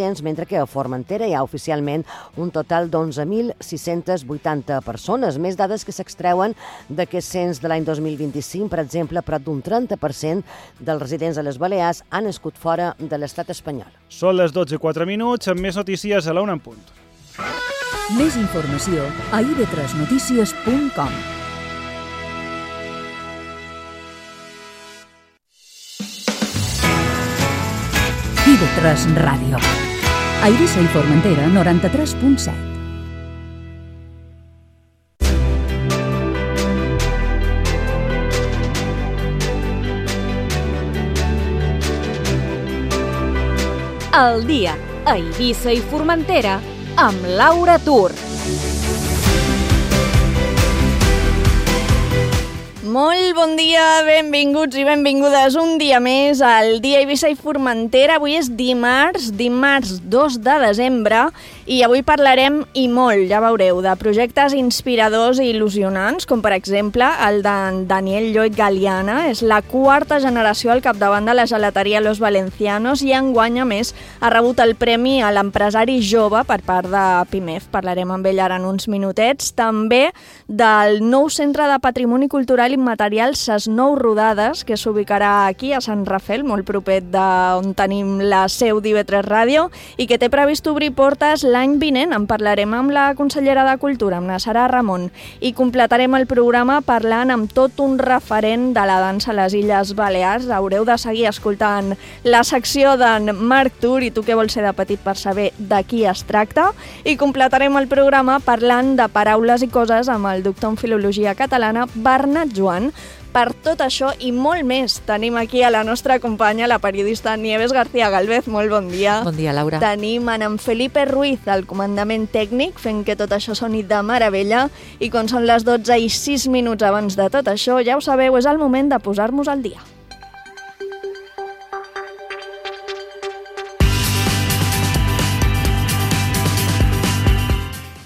residents, mentre que a Formentera hi ha oficialment un total d'11.680 persones. Més dades que s'extreuen d'aquest cens de l'any 2025, per exemple, prop d'un 30% dels residents a les Balears han nascut fora de l'estat espanyol. Són les 12:04, amb més notícies a la 1 en punt. Més informació a ib3notícies.com. IB3 Ràdio. A Eivissa i Formentera, 93.7. El dia a Eivissa i Formentera amb Laura Tur. Molt bon dia, benvinguts i benvingudes un dia més al Dia Eivissa i Formentera. Avui és dimarts 2 de desembre i avui parlarem i molt, ja veureu, de projectes inspiradors i il·lusionants, com per exemple el de Daniel Lloyd Galiana. És la 4ª generació al capdavant de la gelateria Los Valencianos i enguany, a més, ha rebut el premi a l'empresari jove per part de PIMEF. Parlarem amb ell ara en uns minutets. També del nou Centre de Patrimoni Cultural Immaterial Ses Nou Rodades, que s'ubicarà aquí a Sant Rafel, molt proper d'on tenim la seu d'IB3 Ràdio, i que té previst obrir portes l'any vinent. En parlarem amb la consellera de Cultura, amb la Sara Ramon, i completarem el programa parlant amb tot un referent de la dansa a les Illes Balears. Haureu de seguir escoltant la secció d'en Marc Tur, i tu què vols ser de petit per saber de qui es tracta, i completarem el programa parlant de paraules i coses amb el doctor en Filologia Catalana Bernat Joan. Per tot això i molt més tenim aquí a la nostra companya, la periodista Nieves García Galvez. Molt bon dia. Bon dia, Laura. Tenim en Felipe Ruiz al comandament tècnic, fent que tot això soni de meravella. I quan són les 12:06 abans de tot això, ja ho sabeu, és el moment de posar-nos al dia.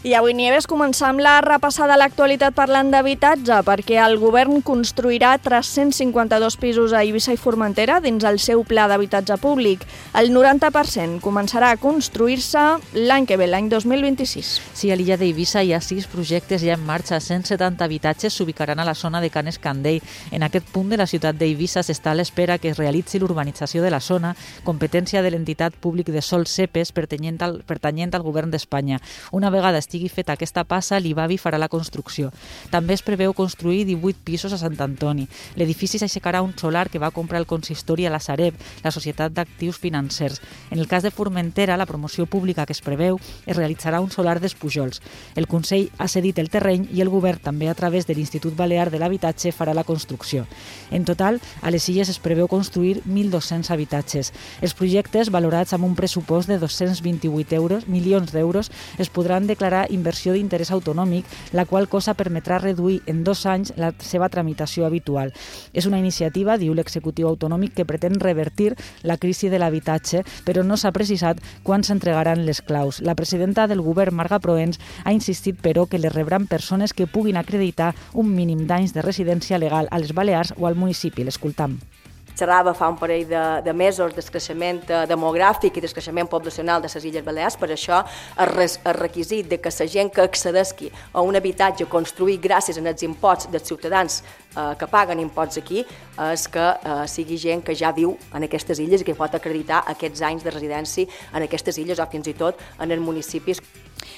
I avui, Nieves, començam la repassada a l'actualitat parlant d'habitatge, perquè el govern construirà 352 pisos a Eivissa i Formentera dins el seu pla d'habitatge públic. El 90% començarà a construir-se l'any que ve, l'any 2026. Sí, a l'illa d'Eivissa hi ha 6 projectes ja en marxa. 170 habitatges s'ubicaran a la zona de Can Escandell. En aquest punt de la ciutat d'Eivissa s'està a l'espera que es realitzi l'urbanització de la zona, competència de l'entitat públic de Sol Cepes pertanyent al govern d'Espanya. Una vegada estigui feta aquesta passa, l'IBABI farà la construcció. També es preveu construir 18 pisos a Sant Antoni. L'edifici s'aixecarà un solar que va comprar el consistori a la Sareb, la Societat d'Actius Financers. En el cas de Formentera, la promoció pública que es preveu es realitzarà un solar d'Espujols. El Consell ha cedit el terreny i el govern, també a través de l'Institut Balear de l'Habitatge, farà la construcció. En total, a les Illes es preveu construir 1.200 habitatges. Els projectes, valorats amb un pressupost de 228 milions d'euros, es podran declarar inversió d'interès autonòmic, la qual cosa permetrà reduir en 2 anys la seva tramitació habitual. És una iniciativa, diu l'executiu autonòmic, que pretén revertir la crisi de l'habitatge, però no s'ha precisat quan s'entregaran les claus. La presidenta del govern, Marga Proens, ha insistit, però, que les rebran persones que puguin acreditar un mínim d'anys de residència legal a les Balears o al municipi. L'escoltam. Xerrava fa un parell de mesos del creixement demogràfic i del creixement poblacional de les Illes Balears. Per això el requisit de que la gent que accedeixi a un habitatge construït gràcies als imposts dels ciutadans que paguen imposts aquí és que sigui gent que ja viu en aquestes illes i que pot acreditar aquests anys de residència en aquestes illes o fins i tot en els municipis.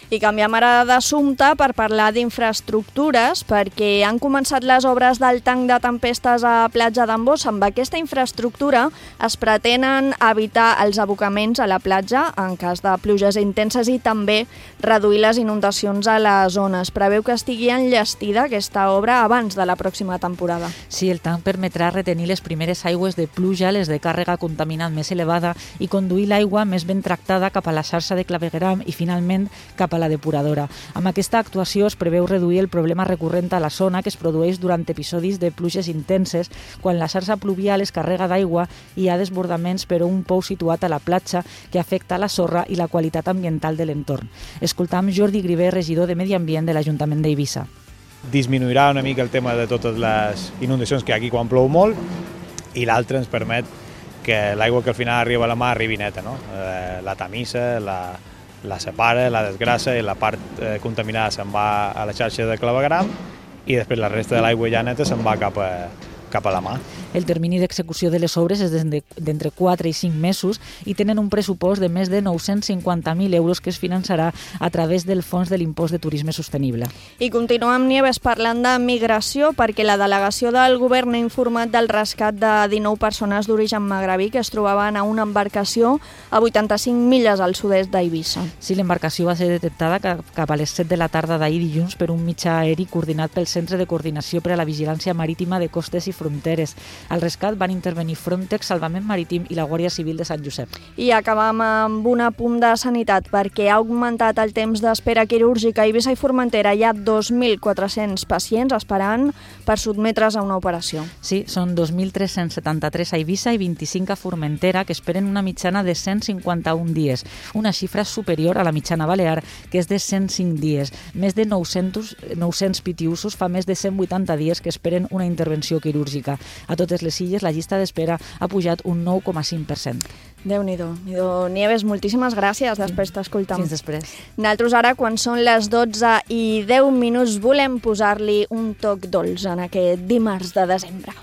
I canviem ara d'assumpte per parlar d'infraestructures, perquè han començat les obres del tanc de tempestes a Platja d'en Bossa. Amb aquesta infraestructura es pretenen evitar els abocaments a la platja en cas de pluges intenses i també reduir les inundacions a la zona. Es preveu que estigui enllestida aquesta obra abans de la pròxima temporada. Sí, el tanc permetrà retenir les primeres aigües de pluja, les de càrrega contaminant més elevada, i conduir l'aigua més ben tractada cap a la xarxa de clavegueram i finalment cap a la depuradora. Amb aquesta actuació es preveu reduir el problema recurrent a la zona que es produeix durant episodis de pluges intenses, quan la xarxa pluvial es carrega d'aigua i hi ha desbordaments per un pou situat a la platja que afecta la sorra i la qualitat ambiental de l'entorn. Escoltam Jordi Griver, regidor de Medi Ambient de l'Ajuntament d'Eivissa. Disminuirà una mica el tema de totes les inundacions que hi ha aquí quan plou molt, i l'altre ens permet que l'aigua que al final arriba a la mar arribi neta, no? La tamissa, la separa, la desgrassa i la part contaminada se'n va a la xarxa de clavegram i després la resta de l'aigua ja neta se'n va cap a la mà. El termini d'execució de les obres és d'entre 4 i 5 mesos i tenen un pressupost de més de 950.000 euros que es finançarà a través del Fons de l'Impost de Turisme Sostenible. I continuem, Nieves, parlant de migració, perquè la delegació del govern ha informat del rescat de 19 persones d'origen magrebí que es trobaven a una embarcació a 85 milles al sud-est d'Eivissa. Sí, l'embarcació va ser detectada cap a les 7 de la tarda d'ahir dilluns per un mitjà aeri coordinat pel Centre de Coordinació per a la Vigilància Marítima de Costes i Fronteres. Al rescat van intervenir Frontex, Salvament Marítim i la Guàrdia Civil de Sant Josep. I acabam amb un apunt de sanitat, perquè ha augmentat el temps d'espera quirúrgica. A Eivissa i Formentera hi ha 2.400 pacients esperant per sotmetre's a una operació. Sí, són 2.373 a Eivissa i 25 a Formentera, que esperen una mitjana de 151 dies, una xifra superior a la mitjana balear, que és de 105 dies. Més de 900 pitiusos fa més de 180 dies que esperen una intervenció quirúrgica. A totes les illes la llista d'espera ha pujat un 9,5%. Déu-n'hi-do. Nieves, moltíssimes gràcies. Després t'escoltam. Fins després. Nosaltres ara, quan són les 12:10, volem posar-li un toc dolç en aquest dimarts de desembre.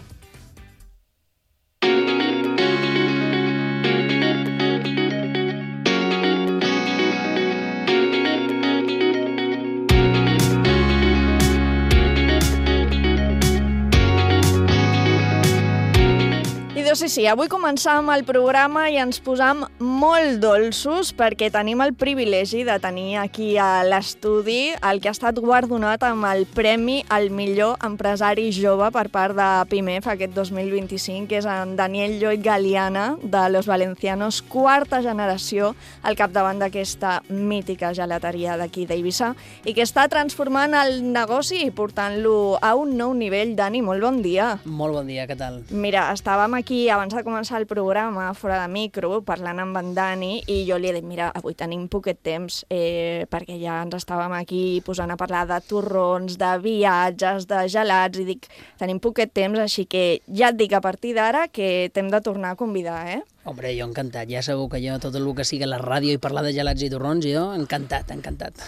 Sí, avui començam el programa i ens posam molt dolços perquè tenim el privilegi de tenir aquí a l'estudi el que ha estat guardonat amb el Premi al millor empresari jove per part de PIMEF aquest 2025, que és en Daniel Lloyd Galiana, de Los Valencianos, quarta generació al capdavant d'aquesta mítica gelateria d'aquí d'Eivissa i que està transformant el negoci i portant-lo a un nou nivell. Dani, molt bon dia. Molt bon dia, què tal? Mira, estàvem aquí abans de començar el programa, fora de micro, parlant amb en Dani, i jo li he dit, mira, avui tenim poquet temps, perquè ja ens estàvem aquí posant a parlar de torrons, de viatges, de gelats, i dic, tenim poquet temps, així que ja et dic a partir d'ara que t'hem de tornar a convidar, Hombre, jo encantat, ja segur que jo tot el que sigui la ràdio i parlar de gelats i torrons, jo encantat.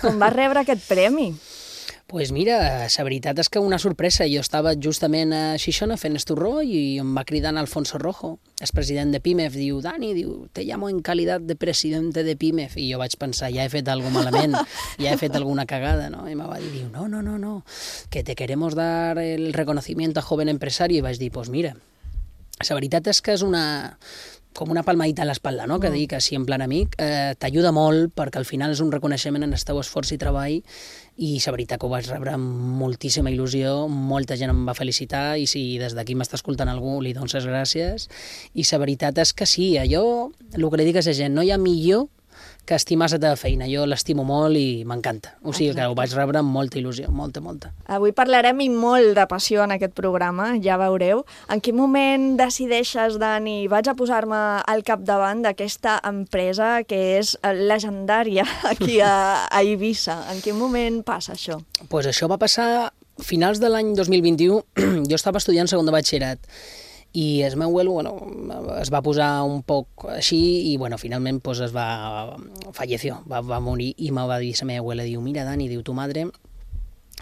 Com vas rebre aquest premi? Pues mira, la veritat és que una sorpresa. Jo estava justament a Xixona fent estorró i em va cridar Alfonso Rojo, el president de PIMEF. Diu, Dani, te llamo en calidad de presidente de PIMEF. I jo vaig pensar, ja he fet alguna malament, ja he fet alguna cagada, no? I me va dir, no, que te queremos dar el reconocimiento a joven empresario. I vaig dir, pues mira, la veritat és que és com una palmadita a l'espatlla, no? Que dic així en plan amic, t'ajuda molt perquè al final és un reconeixement en el teu esforç i treball i la veritat que ho vaig rebre amb moltíssima il·lusió, molta gent em va felicitar i si des d'aquí m'està escoltant algú li dones les gràcies i la veritat és que sí, jo el que li dic a la gent, no hi ha millor que estimar la teva feina, jo l'estimo molt i m'encanta, o sigui que ho vaig rebre amb molta il·lusió, molta. Avui parlarem i molt de passió en aquest programa, ja veureu. En quin moment decideixes, Dani, vaig a posar-me al capdavant d'aquesta empresa que és legendària aquí a Eivissa? En quin moment passa això? Pues això va passar a finals de l'any 2021, jo estava estudiant segon de batxillerat i el meu abuelo es va posar un poc així i finalment falleció, va morir i me va dir la meva abuela, diu, mira Dani, diu, tu madre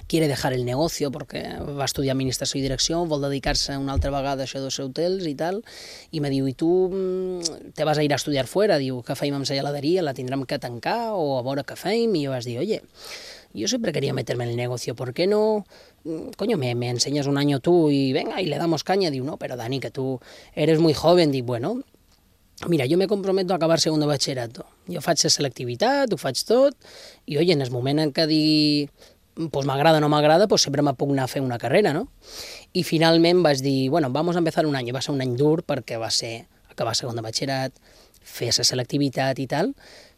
quiere dejar el negocio porque va estudiar administració i direcció, vol dedicar-se una altra vegada a això dels hotels i tal, i me diu, i tu te vas a ir a estudiar fuera, diu, què feim amb la geladeria, la tindrem que tancar o a veure què feim, i jo vaig dir, oye, yo siempre quería meterme en el negocio, ¿por qué no? Coño, me enseñas un año tú y venga, y le damos caña. Digo, no, pero Dani, que tú eres muy joven. Digo, bueno, mira, yo me comprometo a acabar segundo batxillerato. Jo faig la selectivitat, ho faig tot, i oye, en el moment en què dic, pues m'agrada o no m'agrada, pues sempre me puc anar a fer una carrera, no? I finalment vaig dir, bueno, vamos a empezar un any. Va ser un any dur perquè va ser acabar segon de batxillerat, fer la selectivitat i tal,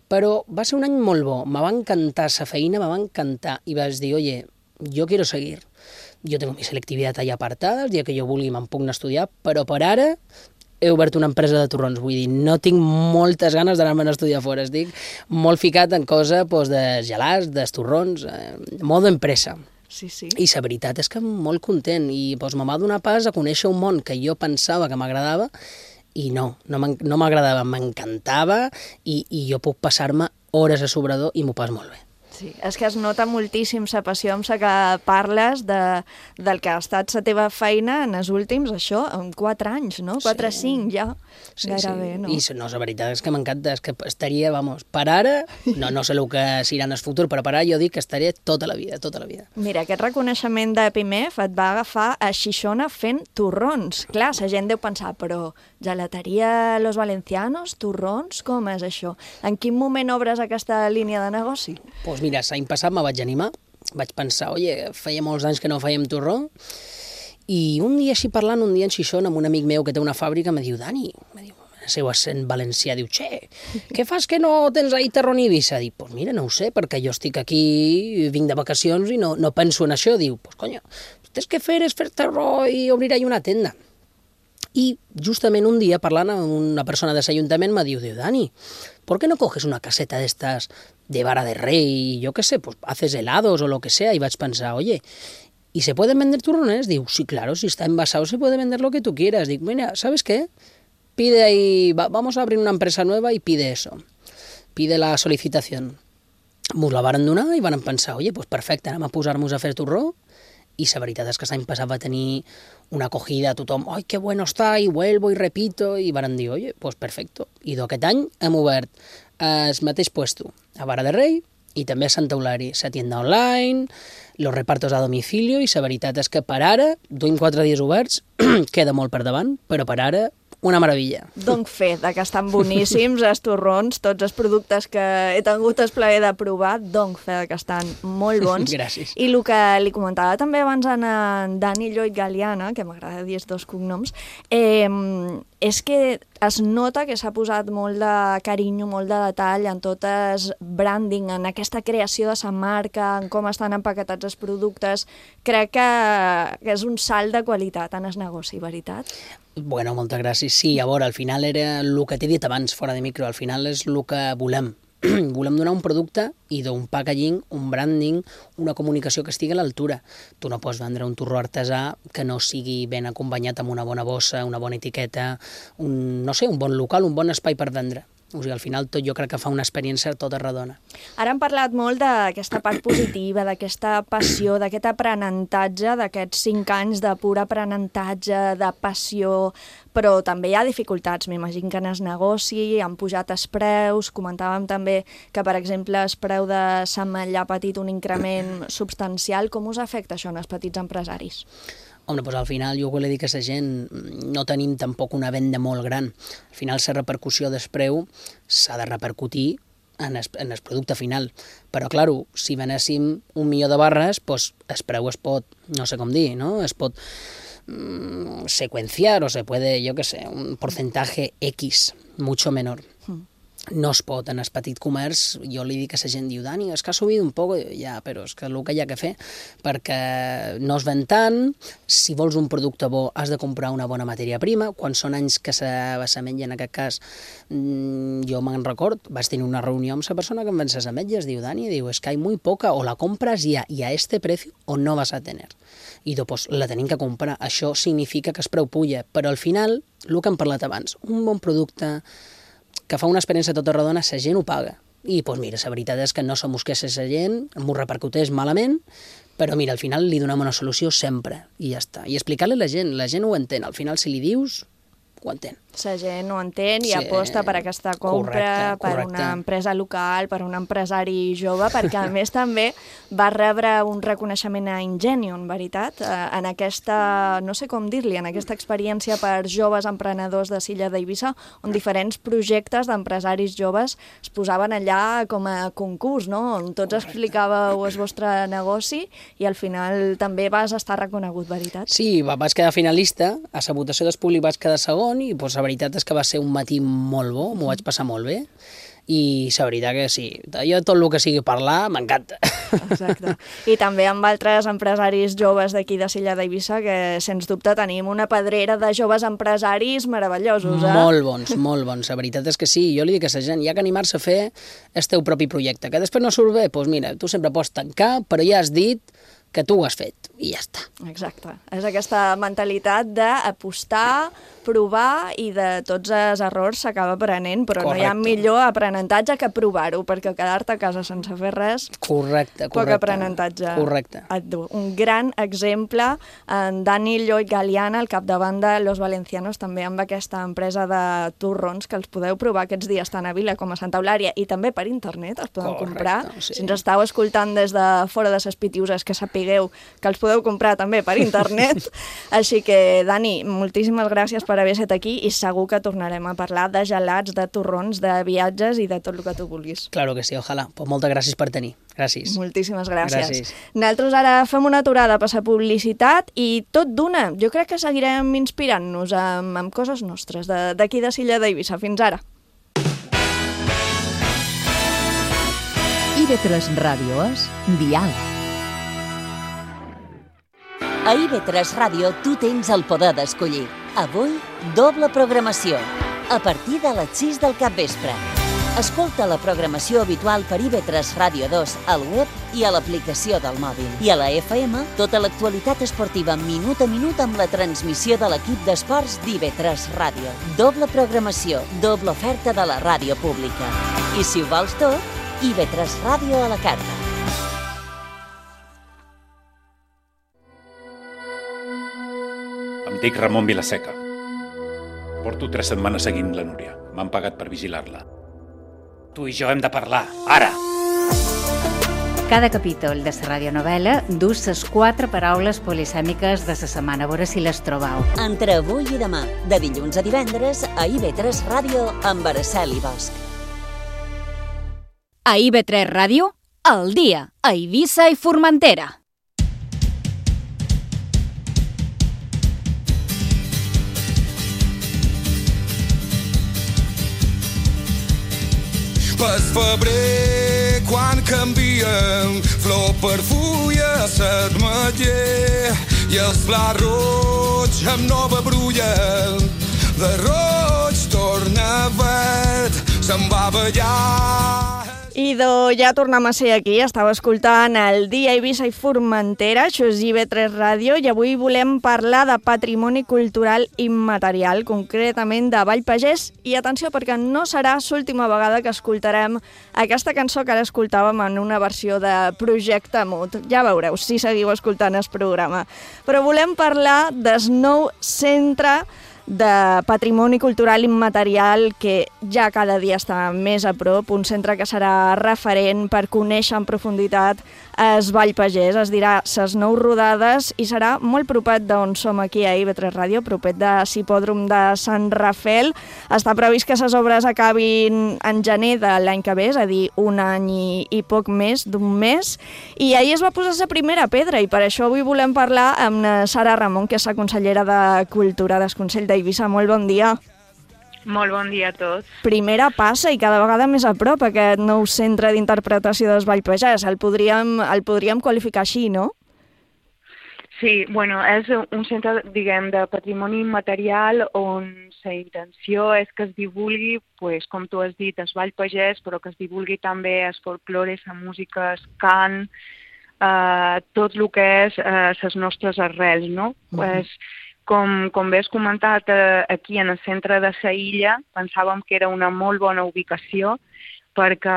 però va ser un any molt bo, me va encantar la feina, me va encantar, i vaig dir, oye, yo quiero seguir, yo tengo mi selectivitat allà apartada, el dia que jo vulgui me'n puc anar a estudiar, però per ara he obert una empresa de torrons, vull dir, no tinc moltes ganes d'anar-me'n a estudiar fora, estic molt ficat en cosa de gelats, de torrons, modo empresa. Sí. I la veritat és que molt content, i me va donar pas a conèixer un món que jo pensava que m'agradava, i no m'agradava, m'encantava i jo puc passar-me hores a sobrador i m'ho pas molt bé. Sí, és que es nota moltíssim la passió amb la que parles del que ha estat la teva feina en els últims, això, en 4 anys, no? 4 o 5 ja, gairebé, no? I no, la veritat és que m'encanta, és que estaria, per ara, no sé el que serà en el futur, però per ara jo dic que estaria tota la vida. Mira, aquest reconeixement de PIMEF et va agafar a Xixona fent torrons. Clar, la gent deu pensar, però gelateria Los Valencianos, torrons, com és això? En quin moment obres aquesta línia de negoci? Doncs mira, l'any passat me vaig animar, vaig pensar, feia molts anys que no fèiem torró, i un dia així parlant, un dia en Xixona, amb un amic meu que té una fàbrica, me diu, Dani, el seu accent valencià, diu, què fas que no tens ahí torró ni Eivissa? Dic, pues mira, no ho sé, perquè jo estic aquí, vinc de vacacions i no penso en això. Diu, pues coño, tens que fer és fer torró i obrir ahí una tenda. I justament un dia, parlant amb una persona de l'Ajuntament, me diu, Dani, ¿por qué no coges una caseta de estas de vara de rey, yo qué sé, pues haces helados o lo que sea? Y vaig pensar, oye, ¿y se pueden vender turrones? Digo, sí, claro, si está envasado se puede vender lo que tú quieras. Digo, mira, ¿sabes qué? Pide ahí, vamos a abrir una empresa nueva y pide eso. Pide la solicitación. Mos la varen donar i van pensar, oye, pues perfecte, anem a posar-nos a fer torró. I la veritat és que l'any passat va tenir una acogida, tothom, ¡ay, qué bueno está! I vuelvo i repito, i van dir, oye, pues perfecto. I d'aquest any hem obert el mateix puesto a Vara de Rei i també a Santa Eulària, la tienda online, los repartos a domicilio, i la veritat és que per ara, duim 4 dies oberts, queda molt per davant, però per ara una meravella. Dono fe que estan boníssims els torrons, tots els productes que he tingut el plaer de provar, dono fe que estan molt bons. Gràcies. I el que li comentava també abans a en Dani Lloyd Galiana, que m'agrada dir els 2 cognoms, és que es nota que s'ha posat molt de carinyo, molt de detall en tot el branding, en aquesta creació de la marca, en com estan empaquetats els productes. Crec que és un salt de qualitat en el negoci, veritat? Bueno, moltes gràcies. Sí, a veure, al final era el que t'he dit abans, fora de micro, al final és el que volem. Volem donar un producte i d'un packaging, un branding, una comunicació que estigui a l'altura. Tu no pots vendre un torró artesà que no sigui ben acompanyat amb una bona bossa, una bona etiqueta, un bon local, un bon espai per vendre. O sigui, al final tot jo crec que fa una experiència tota redona. Ara hem parlat molt d'aquesta part positiva, d'aquesta passió, d'aquest aprenentatge, d'aquests 5 anys de pur aprenentatge, de passió, però també hi ha dificultats. M'imagino que en el negoci han pujat els preus, comentàvem també que, per exemple, el preu de s'ametlla ha patit un increment substancial. Com us afecta això en els petits empresaris? Home, doncs al final jo vull dir que la gent no tenim tampoc una venda molt gran. Al final la repercussió del preu s'ha de repercutir en el producte final. Però, clar, si venéssim 1.000.000 de barres, doncs el preu es pot, no sé com dir, no? Es pot secuenciar o se puede, yo qué sé, un porcentaje X, mucho menor. No es pot, en el petit comerç, jo li dic a la gent, diu, Dani, és que ha subit un poc, ja, però és que el que hi ha que fer, perquè no es ven tant, si vols un producte bo has de comprar una bona matèria prima, quan són anys que s'ametlla, en aquest cas, jo me'n record, vaig tenir una reunió amb la persona que em ven les ametlles, diu, Dani, diu, és que hay muy poca, o la compras ya y a este precio o no vas a tener. I doncs la tenim que comprar, això significa que el preu puja, però al final, el que hem parlat abans, un bon producte que fa una experiència tota redona, la gent ho paga. I, doncs mira, la veritat és que no se mosqués la gent, m'ho repercuteix malament, però mira, al final li donem una solució sempre, i ja està. I explicar-li a la gent ho entén. Al final, si li dius, ho entén. La gent ho entén i aposta per aquesta compra, per una empresa local, per un empresari jove, perquè a més també va rebre un reconeixement a Ingenium, veritat? En aquesta, no sé com dir-li, en aquesta experiència per joves emprenedors de l'illa d'Eivissa, on diferents projectes d'empresaris joves es posaven allà com a concurs, no? On tots explicàveu el vostre negoci i al final també vas estar reconegut, veritat? Sí, vaig quedar finalista, a la votació del públic vaig quedar segon i la veritat és que va ser un matí molt bo, m'ho vaig passar molt bé i la veritat que sí, jo tot el que sigui parlar m'encanta. Exacte. I també amb altres empresaris joves d'aquí de l'illa d'Eivissa que sens dubte tenim una pedrera de joves empresaris meravellosos, eh? Molt bons, la veritat és que sí, jo li dic a la gent, hi ha que animar-se a fer el teu propi projecte, que després no surt bé, doncs mira, tu sempre pots tancar, però ja has dit que tu ho has fet i ja està. Exacte. És aquesta mentalitat d'apostar, provar i de tots els errors s'acaba aprenent, però no hi ha millor aprenentatge que provar-ho, perquè quedar-te a casa sense fer res... Correcte. Poc aprenentatge. Correcte. Un gran exemple, en Dani Lloyd Galiana, al capdavant de Los Valencianos, també amb aquesta empresa de torrons que els podeu provar aquests dies tant a Vila com a Santa Eulària i també per internet els podeu comprar. Sí. Si ens estàu escoltant des de fora de ses Pitiuses, que sapigueu que els podeu comprar també per internet. Així que, Dani, moltíssimes gràcies per haver estat aquí i segur que tornarem a parlar de gelats, de torrons, de viatges i de tot el que tu vulguis. Claro que sí, ojalà. Pues moltes gràcies per tenir. Gràcies. Moltíssimes gràcies. Gràcies. Nosaltres ara fem una aturada a passar publicitat i tot d'una. Jo crec que seguirem inspirant-nos amb coses nostres d'aquí de Silla d'Eivissa. Fins ara. IB3 Ràdio és diàleg. A IB3 Ràdio tu tens el poder d'escollir. Avui, doble programació. A partir de les 6 del capvespre. Escolta la programació habitual per IB3 Ràdio 2 al web i a l'aplicació del mòbil. I a la FM, tota l'actualitat esportiva minut a minut amb la transmissió de l'equip d'esports d'IB3 Ràdio. Doble programació, doble oferta de la ràdio pública. I si ho vols tot, IB3 Ràdio a la carta. Em dic Ramon Vilaseca. Porto 3 setmanes seguint la Núria. M'han pagat per vigilar-la. Tu i jo hem de parlar, ara! Cada capítol de la radionovel·la dus les 4 paraules polisèmiques de la setmana, a veure si les trobau. Entre avui i demà, de dilluns a divendres, a IB3 Ràdio amb Araceli Bosch. A IB3 Ràdio, al dia, a Eivissa i Formentera. Pel febrer, quan canvien flor per fulla, s'admetller i els blats roig amb nova brulla de roig torna verd, se'n va ballar. Idò, ja tornem a ser aquí, estava escoltant el Dia Eivissa i Formentera, això és IB3 Ràdio, i avui volem parlar de patrimoni cultural immaterial, concretament de Vall Pagès, i atenció, perquè no serà l'última vegada que escoltarem aquesta cançó que ara escoltàvem en una versió de Projecte Mut. Ja veureu, si seguiu escoltant el programa. Però volem parlar del nou centre de patrimoni cultural immaterial que ja cada dia està més a prop, un centre que serà referent per conèixer en profunditat el Vall Pagès, es dirà ses 9 rodades i serà molt propet d'on som aquí a IB3 Ràdio, propet de l'hipòdrom de Sant Rafel. Està previst que les obres acabin en gener de l'any que ve, és a dir, un any i poc més d'un mes, i ahir es va posar la primera pedra i per això avui volem parlar amb Sara Ramon, que és la consellera de Cultura del Consell d'Eivissa. Molt bon dia. Molt bon dia a tots. Primera passa i cada vegada més a prop aquest nou centre d'interpretació del Vall Pagès. El podríem qualificar així, no? Sí, bueno, és un centre, diguem, de patrimoni immaterial on la intenció és que es divulgui, pues, com tu has dit, el Vall Pagès, però que es divulgui també el folklore, la música, el cant, tot el que és les nostres arrels, no? Pues, com bé has comentat, aquí en el centre de la illa pensàvem que era una molt bona ubicació perquè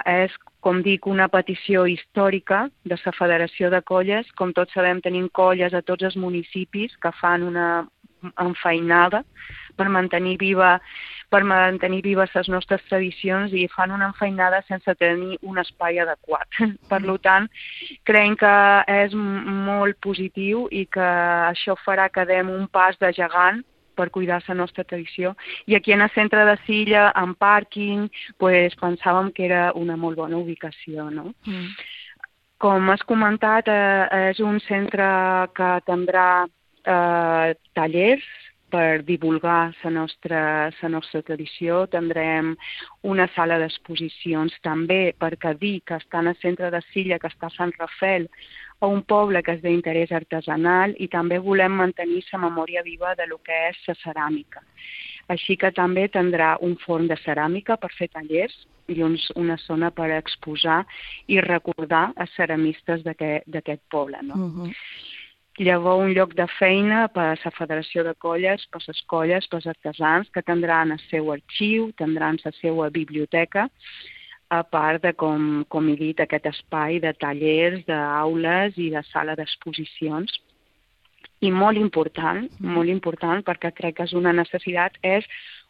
és, com dic, una petició històrica de la Federació de Colles. Com tots sabem, tenim colles a tots els municipis que fan una enfeinada per mantenir vives les nostres tradicions i fan una enfeinada sense tenir un espai adequat. Per tant, creiem que és molt positiu i que això farà que dem un pas de gegant per cuidar la nostra tradició. I aquí en el centre de Silla, en pàrquing, pues, pensàvem que era una molt bona ubicació, no? Com has comentat, és un centre que tindrà tallers per divulgar la nostra tradició. Tindrem una sala d'exposicions també, perquè dir que està en el centre de Silla, que està a Sant Rafel, a un poble que és d'interès artesanal, i també volem mantenir la memòria viva de lo que és la ceràmica. Així que també tindrà un forn de ceràmica per fer tallers i una zona per exposar i recordar a ceramistes d'aquest poble, no? Llavors, un lloc de feina per a la Federació de Colles, per les colles, per als artesans, que tindran el seu arxiu, tindran la seva biblioteca, a part de, com he dit, aquest espai de tallers, d'aules i de sala d'exposicions. I molt important, perquè crec que és una necessitat, és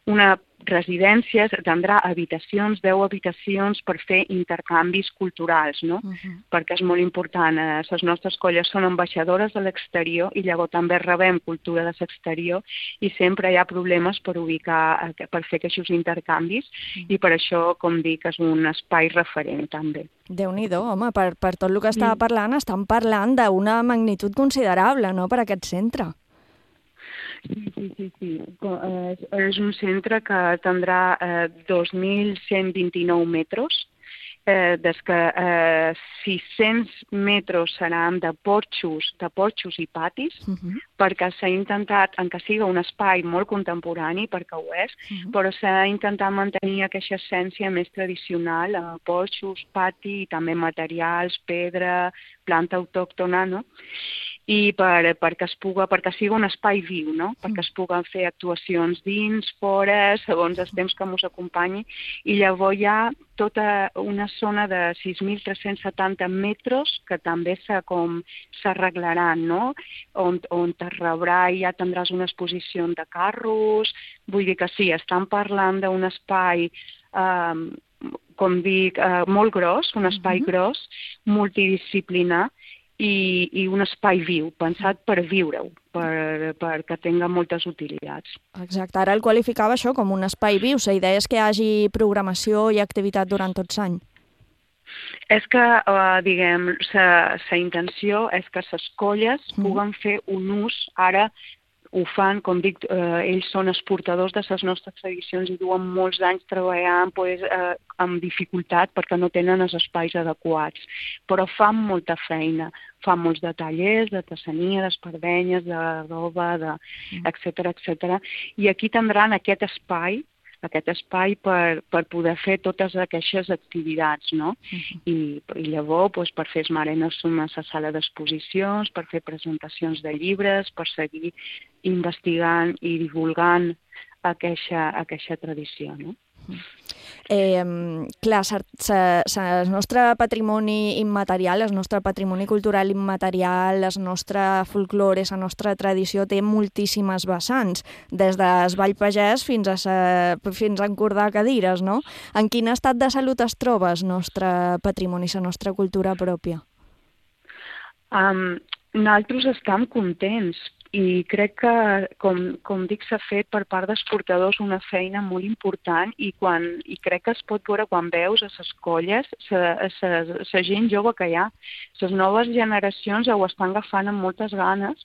una residència, tindrà habitacions, 10 habitacions per fer intercanvis culturals, no? Perquè és molt important. Les nostres colles són ambaixadores de l'exterior i llavors també rebem cultura de l'exterior i sempre hi ha problemes per ubicar, per fer aquests intercanvis i per això, com dic, és un espai referent també. Déu-n'hi-do, home, per tot el que estava parlant, estan parlant d'una magnitud considerable, no?, per aquest centre. Sí. És un centre que tindrà 2.129 metres, des que 600 metres seran de porxos i patis, perquè s'ha intentat, que sigui un espai molt contemporani, perquè ho és, però s'ha intentat mantenir aquesta essència més tradicional, porxos, pati, i també materials, pedra, planta autòctona, no? I perquè sigui un espai viu, no? Perquè es puguen fer actuacions dins, fora, segons els temps que ens acompanyi, i llavors hi ha tota una zona de 6.370 metres que també s'arreglaran, no? On te rebrà i ja tindràs una exposició de carros, vull dir que sí, estan parlant d'un espai com dic, molt gros, un espai gros, multidisciplinar, i un espai viu, pensat per viure-ho, perquè tinga moltes utilitats. Exacte, ara el qualificava això com un espai viu. La idea és que hi hagi programació i activitat durant tot l'any. És que, diguem, la intenció és que les colles puguen fer un ús, ara ho fan, com dic, ells són els portadors de les nostres tradicions i duen molts anys treballant amb dificultat perquè no tenen els espais adequats, però fan molta feina, fan molts de tallers, de artesania, d'espardenyes, de roba, etcètera, i aquí tindran aquest espai per poder fer totes aquestes activitats, no? I llavors, per fer esmerenes a la sala d'exposicions, per fer presentacions de llibres, per seguir investigant i divulgant aquesta tradició, no? Clar, el nostre patrimoni immaterial, el nostre patrimoni cultural immaterial, el nostre folklore, la nostra tradició té moltíssimes vessants, des del ball pagès fins a encordar cadires, no? En quin estat de salut es troba el nostre patrimoni, la nostra cultura pròpia? Nosaltres estem contents i crec que, com dic, s'ha fet per part dels portadors una feina molt important i crec que es pot veure quan veus a les colles la gent jove que hi ha. Les noves generacions ho estan agafant amb moltes ganes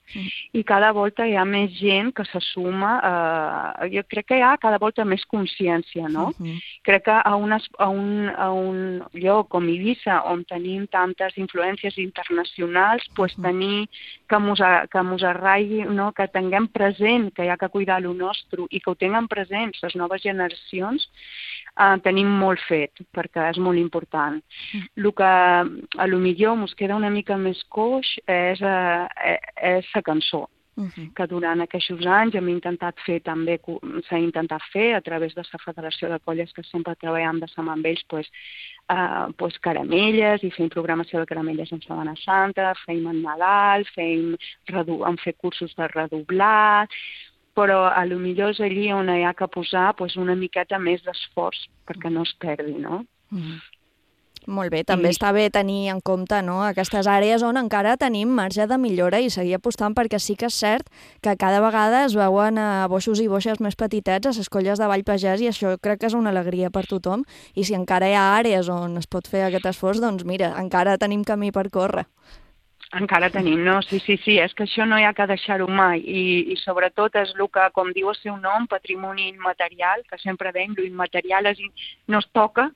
i cada volta hi ha més gent que se suma. Jo crec que hi ha cada volta més consciència, no? Crec que a un lloc com Eivissa, on tenim tantes influències internacionals, tenir que mos arraigui, que tinguem present que hi ha que cuidar el nostre i que ho tinguem present les noves generacions, tenim molt fet, perquè és molt important. El que a lo millor ens queda una mica més coix és la cançó, que durant aquests anys hem intentat fer també, s'ha intentat fer a través de la Federació de Colles, que sempre treballem de la mà amb ells, caramelles, i fem programació de caramelles en Setmana Santa, fem en Nadal, hem fet cursos de redoblar, però a lo millor és allí on hi ha que posar una miqueta més d'esforç perquè no es perdi, no? Molt bé, també està bé tenir en compte aquestes àrees on encara tenim marge de millora i seguir apostant, perquè sí que és cert que cada vegada es veuen boixos i boixes més petitets a les colles de Vall Pagès i això crec que és una alegria per tothom, i si encara hi ha àrees on es pot fer aquest esforç, doncs mira, encara tenim camí per córrer. Encara tenim, no? Sí, és que això no hi ha que deixar-ho mai i sobretot és el que, com diu el seu nom, patrimoni immaterial, que sempre deim, l'immaterial no es toca,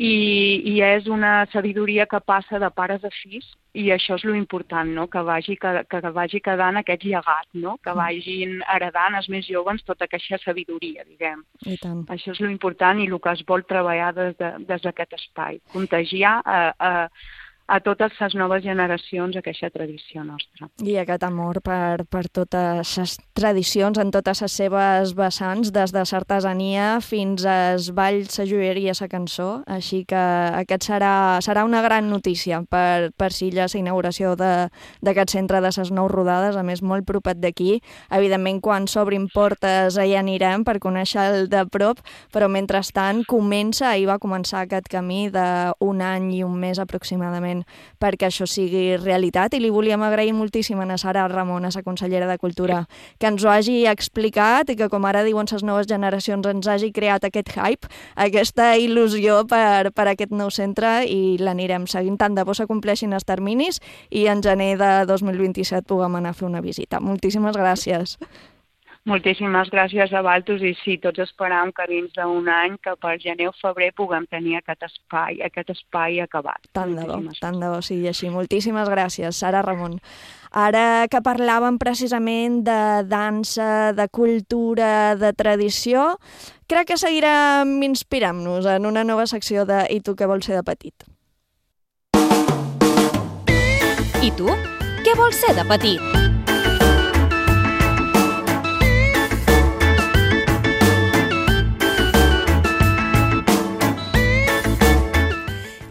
i és una sabidoria que passa de pares a fills, i això és lo important, no? Que vagi quedant aquest llegat, no? Que vagin heredant els més joves tota aquesta sabidoria, diguem. I tant. Això és lo important i el que es vol treballar des d'aquest espai, contagiar a totes les noves generacions aquesta tradició nostra. I aquest amor per totes les tradicions en totes les seves vessants, des de l'artesania fins als balls, la joieria, la cançó. Així que aquest serà una gran notícia per Silla, la inauguració d'aquest centre de les 9 rodades, a més molt propet d'aquí. Evidentment, quan s'obrin portes hi anirem per conèixer-el de prop, però mentrestant ahir va començar aquest camí d'un any i un mes aproximadament perquè això sigui realitat, i li volíem agrair moltíssim a Sara Ramon, a la consellera de Cultura, que ens ho hagi explicat i que, com ara diuen les noves generacions, ens hagi creat aquest hype, aquesta il·lusió per aquest nou centre, i l'anirem seguint. Tant de bo s'acompleixin els terminis i en gener de 2027 puguem anar a fer una visita. Moltíssimes gràcies. Moltíssimes gràcies a Valtus, i sí, tots esperam que dins d'un any, que per gener o febrer puguem tenir aquest espai acabat. Tant de bo sigui així. Moltíssimes gràcies, Sara Ramon. Ara que parlàvem precisament de dansa, de cultura, de tradició, crec que seguirem inspirant-nos en una nova secció de I tu què vols ser de petit? I tu, què vols ser de petit?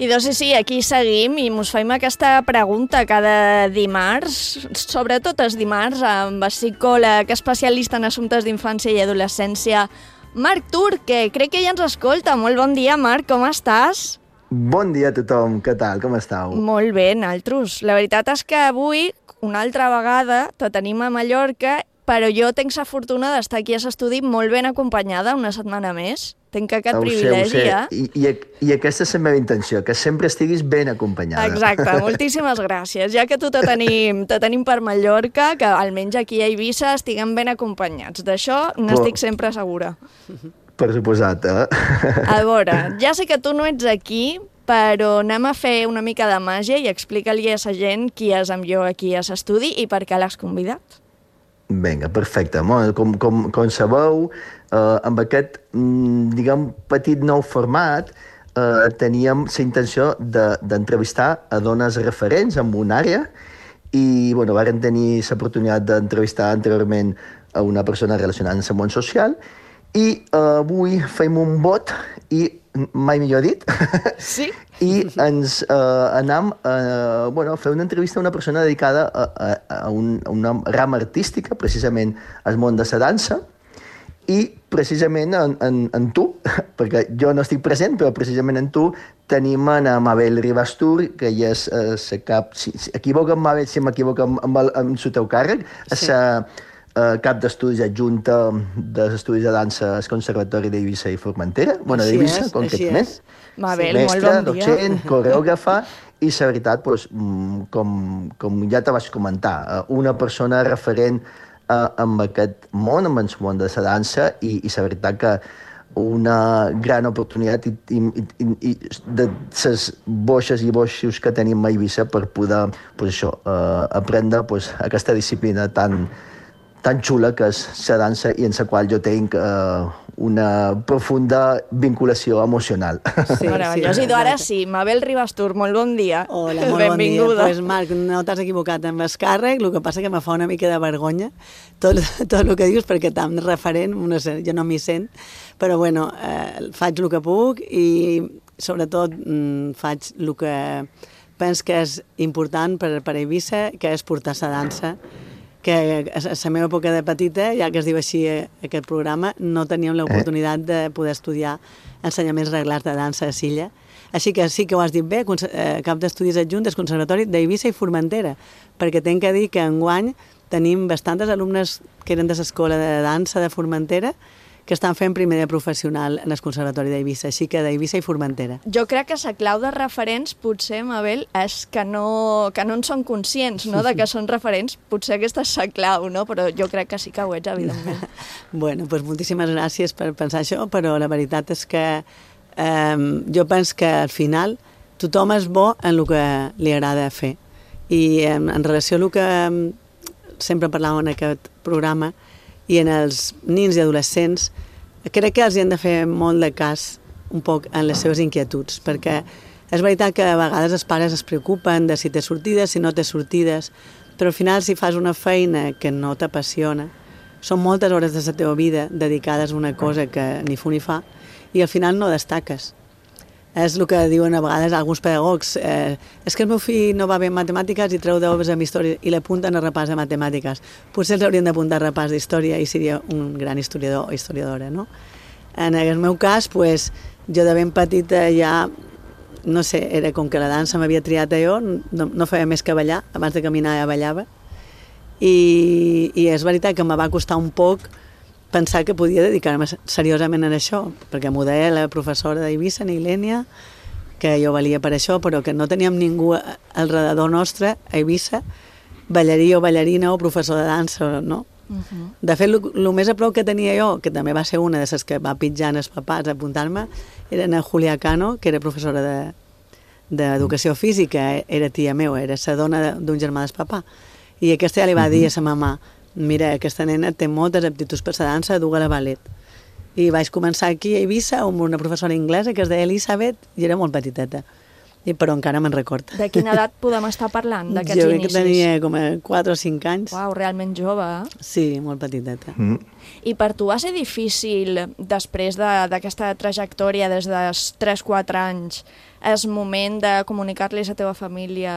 I doncs sí, aquí seguim i mos faim aquesta pregunta cada dimarts, sobretot els dimarts, amb el psicòleg especialista en assumptes d'infància i adolescència, Marc Tur, que crec que ja ens escolta. Molt bon dia, Marc, com estàs? Bon dia a tothom, què tal, com estàu? Molt bé, naltros. La veritat és que avui, una altra vegada, te tenim a Mallorca, però jo tenc la fortuna d'estar aquí a l'estudi molt ben acompanyada una setmana més. Tenc aquest privilegi, ja. I aquesta és la meva intenció, que sempre estiguis ben acompanyada. Exacte, moltíssimes gràcies. Ja que tu te tenim per Mallorca, que almenys aquí a Eivissa estiguem ben acompanyats. D'això n'estic sempre segura. Per suposat, A veure, ja sé que tu no ets aquí, però anem a fer una mica de màgia i explica-li a la gent qui és amb jo aquí a l'estudi i per què l'has convidat. Vinga, perfecte. Com sabeu, amb aquest, diguem, petit nou format, teníem la intenció d'entrevistar a dones referents en una àrea i, bueno, vàrem tenir l'oportunitat d'entrevistar anteriorment a una persona relacionada amb el món social i avui fem un vot i, mai millor dit, sí? I ens anem a fer una entrevista a una persona dedicada a una rama artística, precisament al món de la dansa, i precisament en tu, perquè jo no estic present, però precisament en tu tenim en Mabel Ribastur, que ja és la cap, si Mabel, si m'equivoco amb el teu càrrec, és la cap d'estudis adjunta dels estudis de dansa al Conservatori d'Eivissa i Formentera, bueno, d'Eivissa, concretament. Mabel, molt bon dia. Docent, coreògrafa, i la veritat, com ja te vaig comentar, una persona referent amb aquest món, amb el món de la dansa, i la veritat que una gran oportunitat de les boixes i boixos que tenim a Eivissa per poder aprendre aquesta disciplina tan xula que és la dansa i en la qual jo tinc una profunda vinculació emocional. Sí, meravellós. I ara sí, Mabel Ribastur, molt bon dia. Hola, molt bon dia. Pues, Marc, no t'has equivocat amb el càrrec, el que passa que me fa una mica de vergonya tot el que dius, perquè tan referent, jo no m'hi sent, però bueno, faig el que puc i sobretot faig el que penso que és important per Eivissa, que és portar la dansa, que a la meva època de petita, ja que es diu així aquest programa, no teníem l'oportunitat de poder estudiar ensenyaments reglats de dansa a Silla. Així que sí que ho has dit bé, cap d'estudis adjunt del Conservatori d'Eivissa i Formentera, perquè tinc que dir que enguany tenim bastantes alumnes que eren de l'escola de dansa de Formentera que estan fent primer de professional en el Conservatori d'Eivissa, així que d'Eivissa i Formentera. Jo crec que la clau de referents, potser, Mabel, és que no en són conscients, no?, de que són referents. Potser aquesta és la clau, no?, però jo crec que sí que ho ets, evidentment. Bueno, doncs moltíssimes gràcies per pensar això, però la veritat és que jo penso que al final tothom és bo en el que li agrada fer. I en relació a el que sempre parlàvem en aquest programa i en els nins i adolescents, crec que els hi hem de fer molt de cas un poc en les seves inquietuds, perquè és veritat que a vegades els pares es preocupen de si té sortides, si no té sortides, però al final si fas una feina que no t'apassiona, són moltes hores de la teva vida dedicades a una cosa que ni fu ni fa i al final no destaques. És el que diuen a vegades alguns pedagogs, és que el meu fill no va bé en matemàtiques i treu 10 en història i l'apunten a repàs de matemàtiques. Potser els haurien d'apuntar a repàs d'història i seria un gran historiador o historiadora, no? En el meu cas, pues, jo de ben petita ja, no sé, era com que la dansa m'havia triat a jo, no feia més que ballar, abans de caminar ja ballava, i és veritat que me va costar un poc pensar que podia dedicar-me seriosament a això, perquè m'ho deia la professora d'Eivissa, Nilènia, que jo valia per això, però que no teníem ningú al redador nostre, a Eivissa, ballarí o ballarina o professor de dansa, no? De fet, el més a prop que tenia jo, que també va ser una de les que va pitjar els papats a apuntar-me, era en Julia Cano, que era professora d'educació física, era tia meva, era la dona d'un germà del papà. I aquesta ja li va dir a sa mamà, mira, aquesta nena té moltes aptituds per la dansa, du-la a ballet. I vaig començar aquí a Eivissa amb una professora anglesa que es deia Elisabet i era molt petiteta, però encara me'n record. De quina edat podem estar parlant, d'aquests inicis? Jo crec que tenia com 4 o 5 anys. Uau, realment jove, eh? Sí, molt petiteta. I per tu va ser difícil, després d'aquesta trajectòria des dels 3-4 anys, és moment de comunicar-li a la teva família,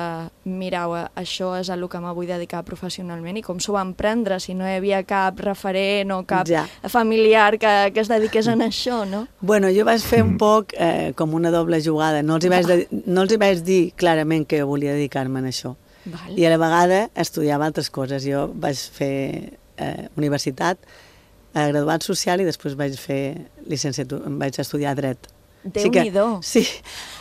mirau, això és el que me vull dedicar professionalment, i com s'ho van prendre, si no hi havia cap referent o cap familiar que es dediqués a això, no? Bueno, jo vaig fer un poc com una doble jugada, no els hi vaig dir clarament que volia dedicar-me a això. I a la vegada estudiava altres coses. Jo vaig fer universitat, graduat social i després vaig fer licenciatura, vaig estudiar dret. Déu-n'hi-do. Sí.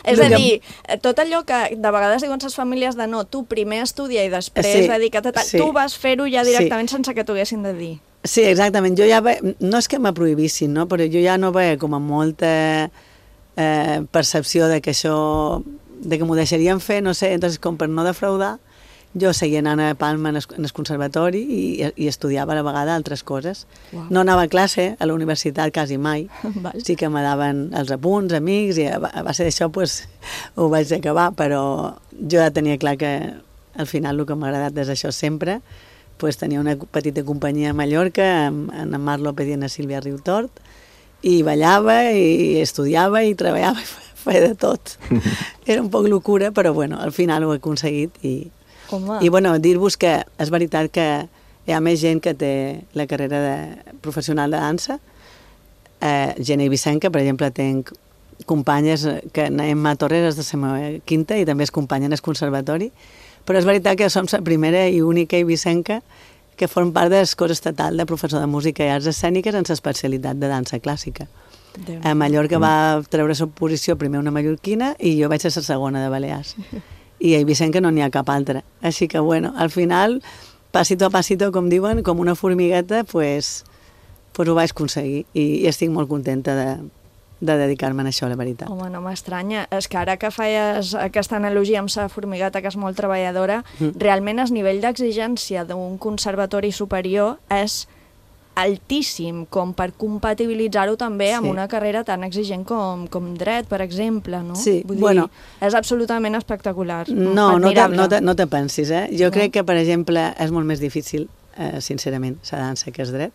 És a dir, tot allò que de vegades diuen les famílies de no, tu primer estudia i després dedica't a tal, tu vas fer-ho ja directament sense que t'ho haguessin de dir. Sí, exactament. Jo ja no és que me prohibissin, no? Però jo ja no veia com a molta percepció de que això, de que m'ho deixarien fer, no sé, entonces com per no defraudar, jo seguia anant a Palma en el conservatori i estudiava a la vegada altres coses. No anava a classe a la universitat quasi mai. Sí que me daven els apunts, amics, i a base d'això ho vaig acabar, però jo ja tenia clar que al final el que m'ha agradat és això sempre. Tenia una petita companyia a Mallorca amb en Marc López i en Sílvia Riutort i ballava i estudiava i treballava i feia de tot. Era un poc locura, però bueno, al final ho he aconseguit i bueno, dir-vos que és veritat que hi ha més gent que té la carrera professional de dansa, gent eivissenca, per exemple, tenc companyes que Emma Torres és de la meva quinta i també és companya en el conservatori, però és veritat que som la primera i única eivissenca que form part del cos estatal de professor de música i arts escèniques en l'especialitat de dansa clàssica. A Mallorca va treure la posició primer una mallorquina i jo vaig ser la segona de Balears. I a Eivissenca no n'hi ha cap altra. Així que, bueno, al final, passito a passito, com diuen, com una formigueta, pues ho vaig aconseguir i estic molt contenta de dedicar-me a això, la veritat. Home, no m'estranya. És que ara que feies aquesta analogia amb la formigueta, que és molt treballadora, realment el nivell d'exigència d'un conservatori superior és altíssim, com per compatibilitzar-ho també amb una carrera tan exigent com dret, per exemple, no? Sí, vull dir, és absolutament espectacular. No te pensis, eh? Jo crec que, per exemple, és molt més difícil, sincerament, la dansa que és dret,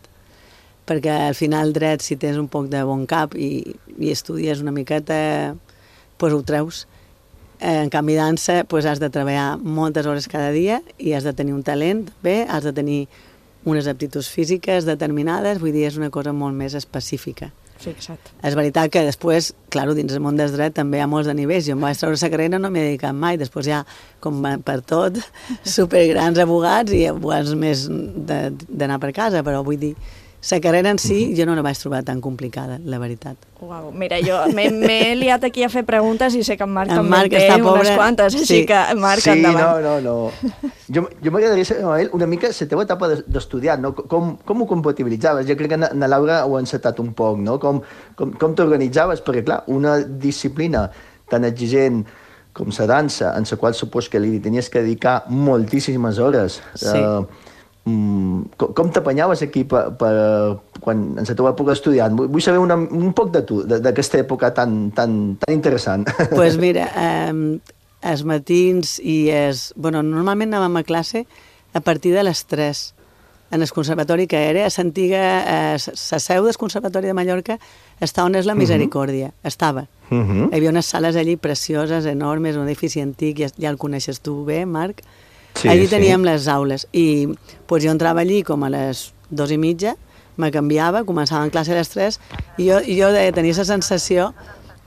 perquè al final dret, si tens un poc de bon cap i estudies una miqueta, doncs ho treus. En canvi, dansa, has de treballar moltes hores cada dia i has de tenir un talent, bé, has de tenir unes aptituds físiques determinades, vull dir, és una cosa molt més específica. Fixa't. És veritat que després, clar, dins del món del dret també hi ha molts de nivells. Jo em vaig treure la carrera, no m'he dedicat mai. Després hi ha, com per tot, supergrans abogats i abogats més d'anar per casa, però vull dir, La carrera en si jo no la vaig trobar tan complicada, la veritat. Uau, mira, jo m'he liat aquí a fer preguntes i sé que en Marc també Marc té està unes pobre. quantes, així que Marc, endavant. No. Jo m'agradaria saber, Noel, una mica la teva etapa d'estudiant, no? Com ho compatibilitzaves? Jo crec que na Laura ho ha encetat un poc, no? Com t'organitzaves? Perquè, clar, una disciplina tan exigent com la dansa, en la qual supos que li tenies que dedicar moltíssimes hores. Sí. Com t'apanyaves aquí quan en la teva època estudiant? Vull saber un poc de tu, d'aquesta època tan interessant. Pues mira, els matins i normalment anàvem a classe a partir de les 3 en el conservatori que era a l'antiga, la seu del Conservatori de Mallorca està on és la Misericòrdia, estava. Hi havia unes sales allí precioses, enormes, un edifici antic, ja el coneixes tu bé, Marc? Sí, allí teníem les aules i pues, jo entrava allí com a les 2:30, me canviava, començava en classe a les 3 i jo tenia la sensació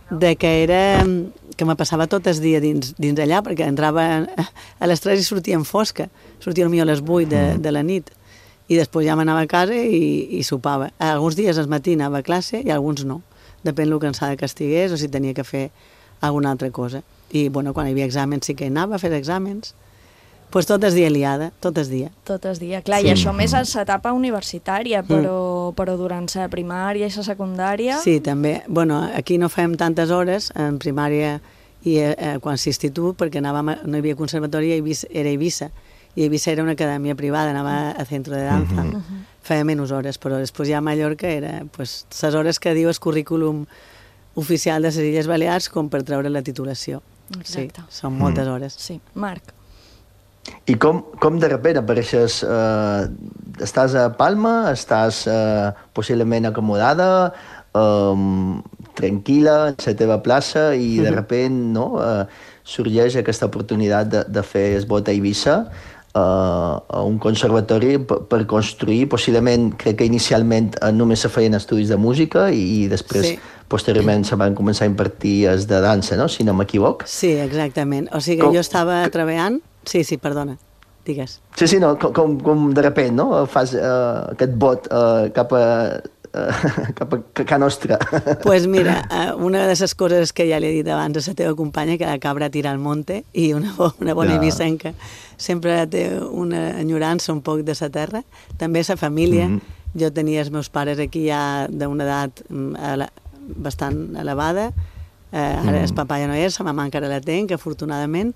de que me passava tot el dia dins allà, perquè entrava a les 3 i sortia en fosca, sortia potser a les 8 de la nit i després ja m'anava a casa i sopava. Alguns dies al matí anava a classe i alguns no, depèn del cansada que estigués o si tenia que fer alguna altra cosa. I bueno, quan hi havia exàmens sí que anava a fer exàmens. Pues tot el dia liada, tot el dia. Tot el dia, clar, sí. I això més a l'etapa universitària, però durant la primària i la secundària... Sí, també. Bueno, aquí no fem tantes hores, en primària i quan s'institut, perquè no hi havia conservatori, era Eivissa, i Eivissa era una acadèmia privada, anava a centre de danza, feia menys hores, però després ja a Mallorca era les hores que diu el currículum oficial de les Illes Balears com per treure la titulació. Exacte. Sí, són moltes hores. Sí. Marc. I com de repente apareixes, estàs a Palma, estàs possiblement acomodada, tranquil·la en la teva plaça i de repente sorgeix aquesta oportunitat de fer el vot a Eivissa a un conservatori per construir, possiblement, crec que inicialment només se feien estudis de música i després, posteriorment, se van començar a impartir els de dansa, no? Si no m'equivoc. Sí, exactament. O sigui, jo estava treballant... Sí, perdona, digues. Sí, no, com de repente, no? Fas aquest vot cap a nostra. Pues mira, una de les coses que ja li he dit abans a la teva companya, que la cabra tira al monte, i una bona eivissenca sempre té una enyorança un poc de la terra, també la família. Jo tenia els meus pares aquí ja d'una edat bastant elevada, ara el papà ja no és, la mamà encara la tenc, afortunadament,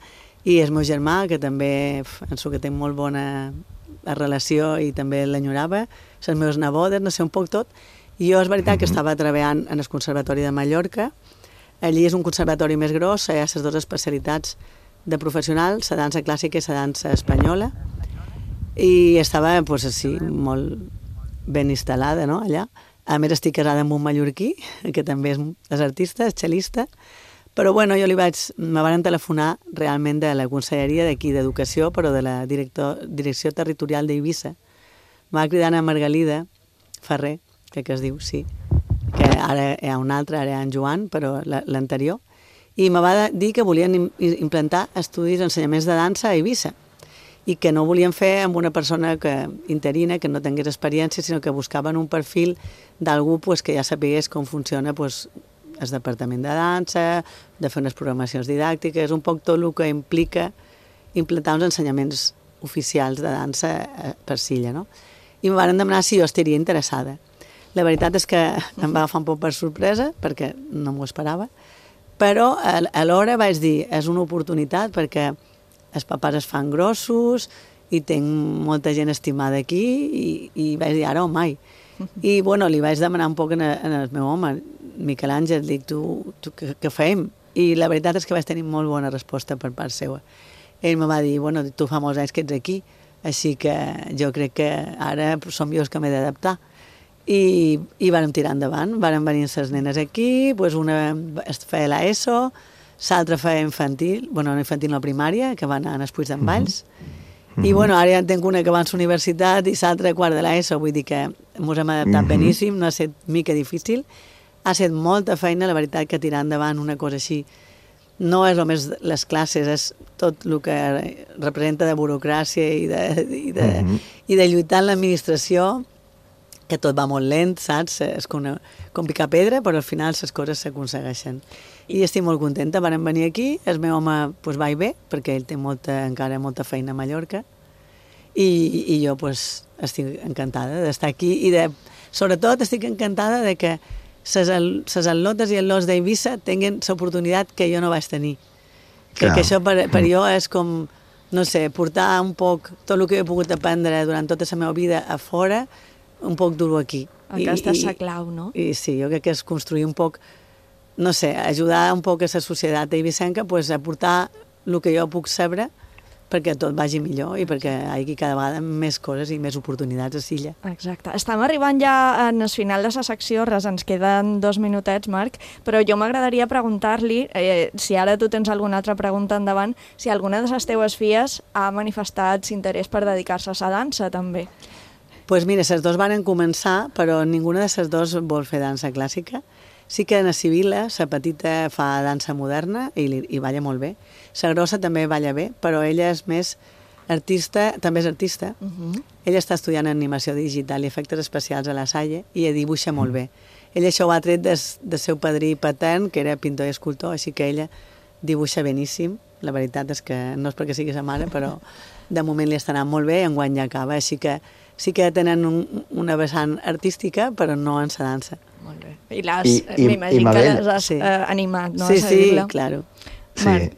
i el meu germà, que també penso que té molt bona relació i també l'enyorava, les meves nebodes, no sé, un poc tot. I jo és veritat que estava treballant en el Conservatori de Mallorca. Allí és un conservatori més gros, hi ha les dues especialitats de professional, la dansa clàssica i la dansa espanyola. I estava, doncs, així, molt ben instal·lada, no?, allà. A més, estic casada amb un mallorquí, que també és artista, és xelista. Però, bueno, me van telefonar realment de la conselleria d'aquí d'Educació, però de la Direcció Territorial d'Eivissa. Em va cridar a Margalida Ferrer, crec que es diu, sí, que ara hi ha un altre, ara hi ha en Joan, però l'anterior, i me va dir que volien implantar estudis d'ensenyaments de dansa a Eivissa i que no volien fer amb una persona interina, que no tingués experiència, sinó que buscaven un perfil d'algú que ja sapigués com funciona el departament de dansa, de fer unes programacions didàctiques, un poc tot el que implica implantar uns ensenyaments oficials de dansa per Silla, no? I em van demanar si jo estaria interessada. La veritat és que em va agafar un poc per sorpresa, perquè no m'ho esperava, però alhora vaig dir, és una oportunitat perquè els papàs es fan grossos i tinc molta gent estimada aquí i vaig dir, ara o mai. I, bueno, li vaig demanar un poc en el meu home, Miquel Àngel, dic, tu què fem? I la veritat és que vaig tenir molt bona resposta per part seva. Ell me va dir, bueno, tu fa molts anys que ets aquí, així que jo crec que ara som jo els que m'he d'adaptar. I vàrem tirar endavant, vàrem venir les nenes aquí, una feia l'ESO, l'altra feia infantil, bueno, no infantil, no primària, que va anar a Puig d'en Valls, i bueno, ara ja en tinc una que va a la universitat i l'altra quart de l'ESO, vull dir que ens hem adaptat beníssim, no ha estat mica difícil, ha estat molta feina, la veritat que tirar endavant una cosa així no és només les classes, és tot el que representa de burocràcia i de lluitar en l'administració, que tot va molt lent, saps? És com picar pedra, però al final les coses s'aconsegueixen. I estic molt contenta. Vàrem venir aquí, el meu home va i ve, perquè ell té encara molta feina a Mallorca, i jo estic encantada d'estar aquí i sobretot estic encantada de que les atlotes i atlots d'Eivissa tinguin l'oportunitat que jo no vaig tenir. Perquè això per jo és com, no sé, portar un poc tot el que he pogut aprendre durant tota la meva vida a fora, un poc dur-ho aquí. Aquesta és la clau, no? I sí, jo crec que és construir un poc, no sé, ajudar un poc a la societat eivissenca a portar el que jo puc saber perquè tot vagi millor i perquè hi hagi cada vegada més coses i més oportunitats a l'illa. Exacte. Estem arribant ja en el final de la secció, ens queden 2 minutets, Marc, però jo m'agradaria preguntar-li, si ara tu tens alguna altra pregunta endavant, si alguna de les teues filles ha manifestat interès per dedicar-se a la dansa, també. Doncs mira, les dues van començar, però ninguna de les dues vol fer dansa clàssica. Sí que na Sibila, la petita, fa dansa moderna i balla molt bé. La grossa també balla bé, però ella és més artista, també és artista. Ella està estudiant animació digital i efectes especials a la Salle i dibuixa molt bé. Ella això ho ha tret del seu padrí patern, que era pintor i escultor, així que ella dibuixa beníssim. La veritat és que no és perquè sigui sa mare, però de moment li està anant molt bé i enguany ja acaba, així que sí que tenen una vessant artística, però no en la dansa. Molt bé. I m'imagino que les has animat, no? Sí, claro. Sí.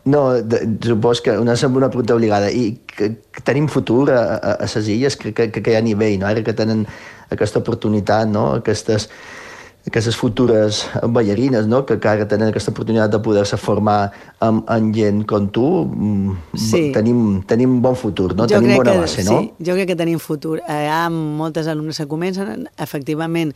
No, supos que una pregunta obligada. I que tenim futur a les illes, crec que hi ha nivell, no? Ara que tenen aquesta oportunitat, no? Aquestes futures ballarines, no? Que ara tenen aquesta oportunitat de poder-se formar amb gent com tu, tenim bon futur, no? Tenim bona base, no? Sí, jo crec que tenim futur. Hi ha moltes alumnes que comencen, efectivament,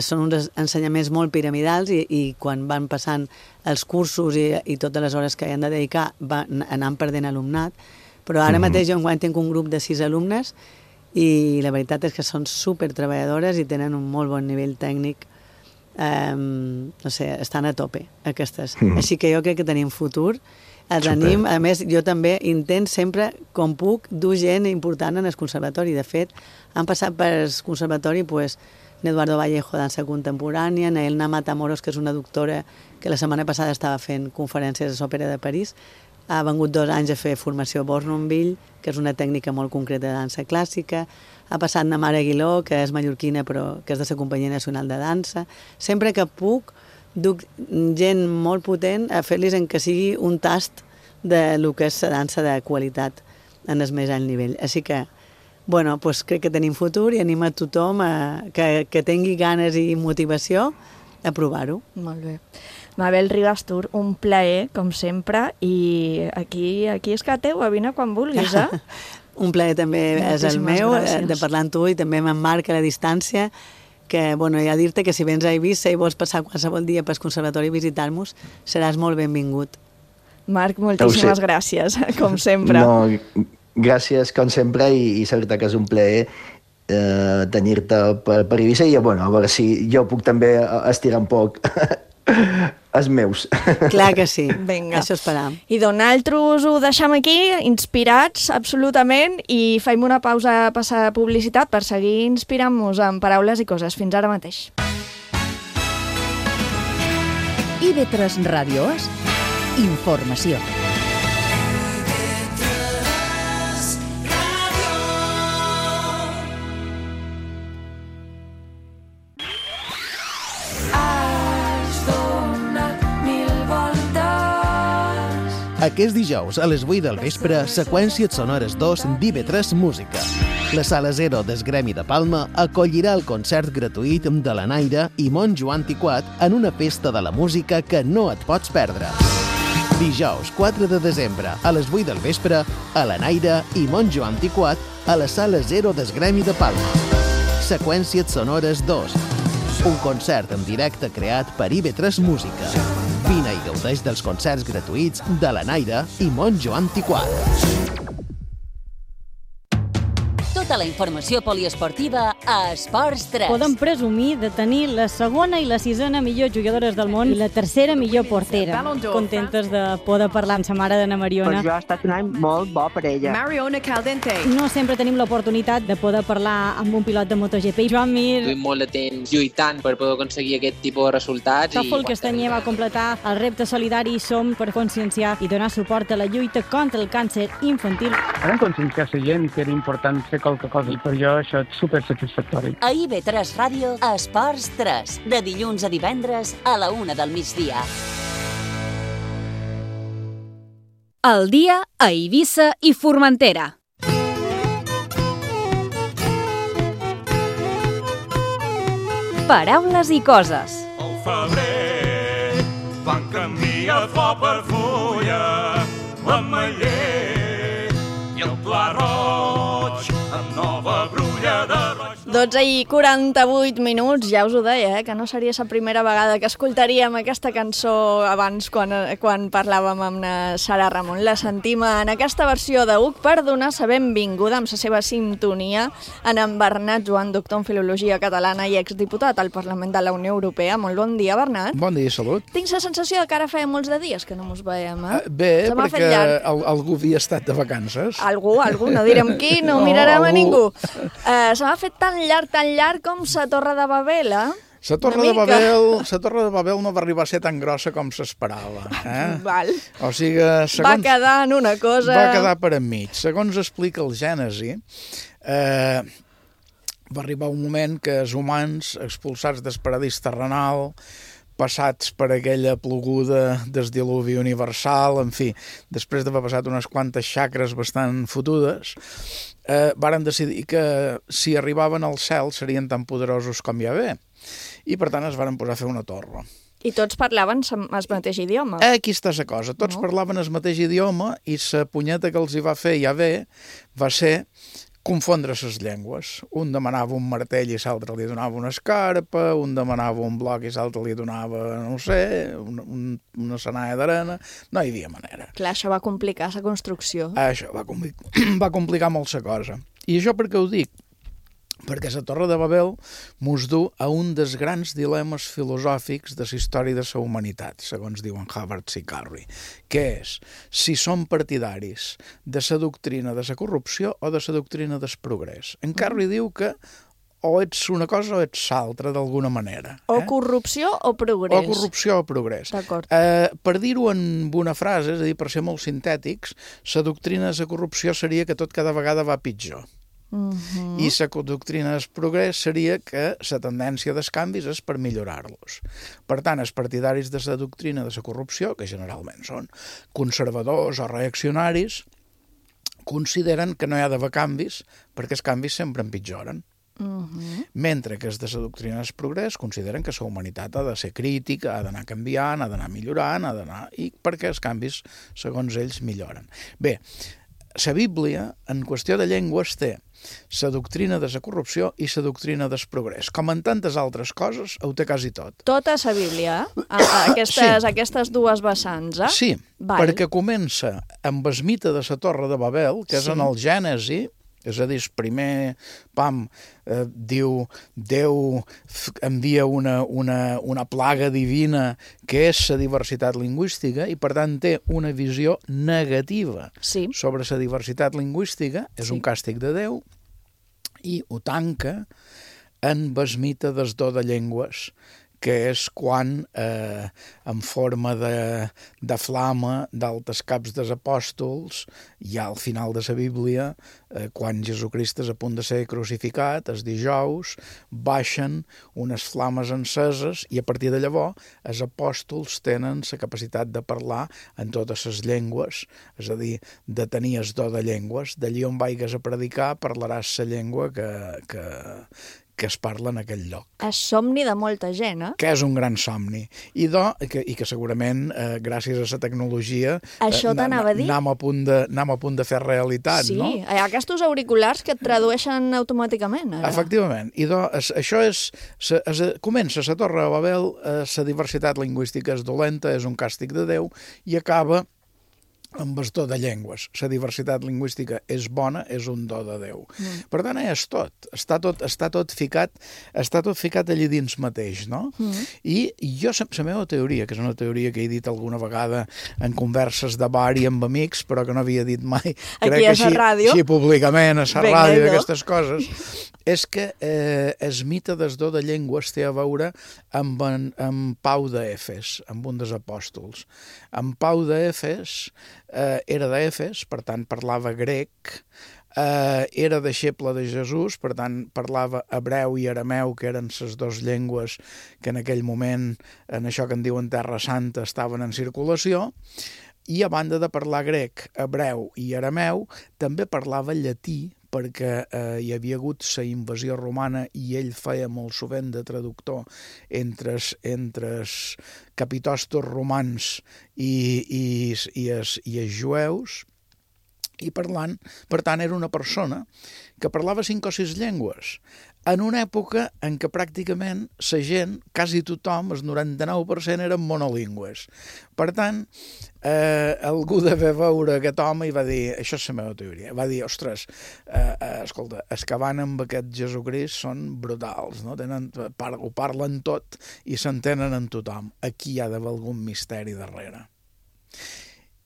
són uns ensenyaments molt piramidals i quan van passant els cursos i totes les hores que hi han de dedicar van anant perdent alumnat, però ara mateix jo enguany tinc un grup de 6 alumnes i la veritat és que són supertreballadores i tenen un molt bon nivell tècnic. No sé, estan a tope aquestes. Així que jo crec que tenim futur. Els anim, a més jo també intent sempre, com puc, dur gent important en el conservatori. De fet, han passat per el conservatori Eduardo Vallejo, dansa contemporània, Naelna Matamoros, que és una doctora que la setmana passada estava fent conferències a l'Òpera de París, ha vengut 2 anys a fer formació a Bournonville, que és una tècnica molt concreta de dansa clàssica. Ha passat Namara Aguiló, que és mallorquina però que és de la Companyia Nacional de Dansa. Sempre que puc, duc gent molt potent a fer-los en que sigui un tast del que és la dansa de qualitat en el més alt nivell. Així que, bueno, crec que tenim futur i anima a tothom que tingui ganes i motivació a provar-ho. Molt bé. Mabel Ribastur, un plaer, com sempre, i aquí és que teu, vine quan vulguis, Un plaer també és el meu, de parlar amb tu i també amb en Marc a la distància, que, bueno, ja dir-te que si vens a Eivissa i vols passar qualsevol dia pel conservatori i visitar-nos, seràs molt benvingut. Marc, moltíssimes gràcies, com sempre. No, gràcies, com sempre, i la veritat que és un plaer tenir-te per Eivissa i, bueno, a veure si jo puc també estirar un poc els meus. Clar que sí. Vinga. Això esperam. I nosaltres ho deixem aquí, inspirats absolutament, i faim una pausa a passar publicitat per seguir inspirant-nos en paraules i coses. Fins ara mateix. IB3 Ràdio És informació. Aquest dijous, a les 8 del vespre, Seqüències Sonores 2 d'IB3 Música. La Sala 0 del Gremi de Palma acollirà el concert gratuït de la Naira i Montjo Antiquat en una festa de la música que no et pots perdre. Dijous 4 de desembre, a les 8 del vespre, a la Naira i Montjo Antiquat a la Sala 0 del Gremi de Palma. Seqüències Sonores 2. Un concert en directe creat per IB3 Música. Vine i gaudeix dels concerts gratuïts de la Naira i Montjo Antiquat. Tota la informació poliesportiva a Esports 3. Podem presumir de tenir la segona i la sisena millor jugadores del món i la tercera millor portera. Contentes de poder parlar amb sa mare d'Anna Mariona. Per jo ha estat un any molt bo per ella. Mariona Caldente. No sempre tenim l'oportunitat de poder parlar amb un pilot de MotoGP. Joan Mir. Duim molt de temps lluitant per poder aconseguir aquest tipus de resultats. Tòfol Castanyer va completar el repte solidari Som per conscienciar i donar suport a la lluita contra el càncer infantil. Vam conscienciar la gent que era important fer qualque cosa i per jo això és supersatisfactori. A IB3 Ràdio, Esports 3, de dilluns a divendres a la 1 del migdia. El dia a Eivissa i Formentera. Paraules i coses. Al febrer van canviar flor per fulla, l'ametller i el pla roig amb nova brulla de roig. 12 i 48 minuts, ja us ho deia, que no seria la primera vegada que escoltaríem aquesta cançó abans quan parlàvem amb la Sara Ramon. La sentim en aquesta versió de UC per donar la benvinguda amb la seva sintonia en Bernat Joan, doctor en Filologia Catalana i exdiputat al Parlament de la Unió Europea. Molt bon dia, Bernat. Bon dia, salut. Tinc la sensació que ara feia molts de dies que no mos veiem, eh? Bé, perquè algú havia estat de vacances. Algú, no direm qui, no mirarem a ningú. Se m'ha fet tan llarg com la Torre de Babel, eh? La Torre de Babel no va arribar a ser tan grossa com s'esperava. Val. O sigui, va quedar en una cosa... Va quedar per enmig. Segons explica el Gènesi, va arribar un moment que els humans, expulsats del paradís terrenal, passats per aquella ploguda del diluvi universal, en fi, després d'haver passat unes quantes xacres bastant fotudes, varen decidir que si arribaven al cel serien tan poderosos com Yahvé. I per tant es varen posar a fer una torre. I tots parlaven el mateix idioma. Aquí està la cosa. Tots parlaven el mateix idioma i la punyeta que els hi va fer Yahvé va ser confondre les llengües. Un demanava un martell i l'altre li donava una escarpa, un demanava un bloc i l'altre li donava, no sé, una senaia d'arena. No hi havia manera. Clar, això va complicar la construcció. Això va complicar molt la cosa. I això per què ho dic? Perquè la Torre de Babel mos du a un dels grans dilemes filosòfics de la història de la humanitat, segons diuen Habermas i Carey, que és si som partidaris de la doctrina de la corrupció o de la doctrina del progrés. En Carey diu que o ets una cosa o ets l'altra, d'alguna manera. O corrupció o progrés. O corrupció o progrés. D'acord. Per dir-ho en una frase, és a dir, per ser molt sintètics, la doctrina de la corrupció seria que tot cada vegada va pitjor. I la doctrina del progrés seria que la tendència dels canvis és per millorar-los. Per tant, els partidaris de la doctrina de la corrupció, que generalment són conservadors o reaccionaris, consideren que no hi ha d'haver canvis perquè els canvis sempre empitjoren. Mentre que els de la doctrina del progrés consideren que la humanitat ha de ser crítica, ha d'anar canviant, ha d'anar millorant, i perquè els canvis, segons ells, milloren. Bé, la Bíblia, en qüestió de llengües, té la doctrina de la corrupció i la doctrina del progrés. Com en tantes altres coses, ho té quasi tot. Tota la Bíblia, aquestes dues vessants, eh? Sí, perquè comença amb el mite de la Torre de Babel, que és en el Gènesi, és a dir, primer diu Déu envia una plaga divina que és la diversitat lingüística i per tant té una visió negativa sobre la diversitat lingüística, és un càstig de Déu i ho tanca en el mite del do de llengües, que és quan, en forma de flama d'altes caps dels apòstols, ja al final de la Bíblia, quan Jesucrist és a punt de ser crucificat, els dijous, baixen unes flames enceses i a partir de llavors els apòstols tenen la capacitat de parlar en totes les llengües, és a dir, de tenir el do de llengües. D'allí on vaigues a predicar parlaràs la llengua que es parla en aquell lloc. És somni de molta gent, eh? Que és un gran somni. I que segurament, gràcies a la tecnologia, anem a punt de fer realitat, no? Sí, hi ha aquests auriculars que et tradueixen automàticament, ara. Efectivament. I això és... Comença la Torre de Babel, la diversitat lingüística és dolenta, és un càstig de Déu, i acaba amb bastó de llengües. La diversitat lingüística és bona, és un do de Déu. Per tant, és tot. Està tot ficat allí dins mateix, no? I jo, la meva teoria, que és una teoria que he dit alguna vegada en converses de bar i amb amics, però que no havia dit mai, crec que així públicament, a la ràdio, d'aquestes coses, és que el mite del do de llengües té a veure amb Pau d'Efes, amb un dels apòstols. En Pau d'Efes era d'Efes, per tant parlava grec, era deixeble de Jesús, per tant parlava hebreu i arameu, que eren les dues llengües que en aquell moment, en això que en diuen Terra Santa, estaven en circulació, i a banda de parlar grec, hebreu i arameu, també parlava llatí, perquè hi havia hagut la invasió romana i ell feia molt sovint de traductor entre els capitostos romans i els jueus, i per tant era una persona que parlava 5 o 6 llengües, en una època en què pràcticament la gent, quasi tothom, el 99% eren monolingües. Per tant, algú devia veure aquest home i va dir, això és la meva teoria, va dir, ostres, escolta, els que van amb aquest Jesucrist són brutals, no? Ho parlen tot i s'entenen en tothom. Aquí hi ha d'haver algun misteri darrere.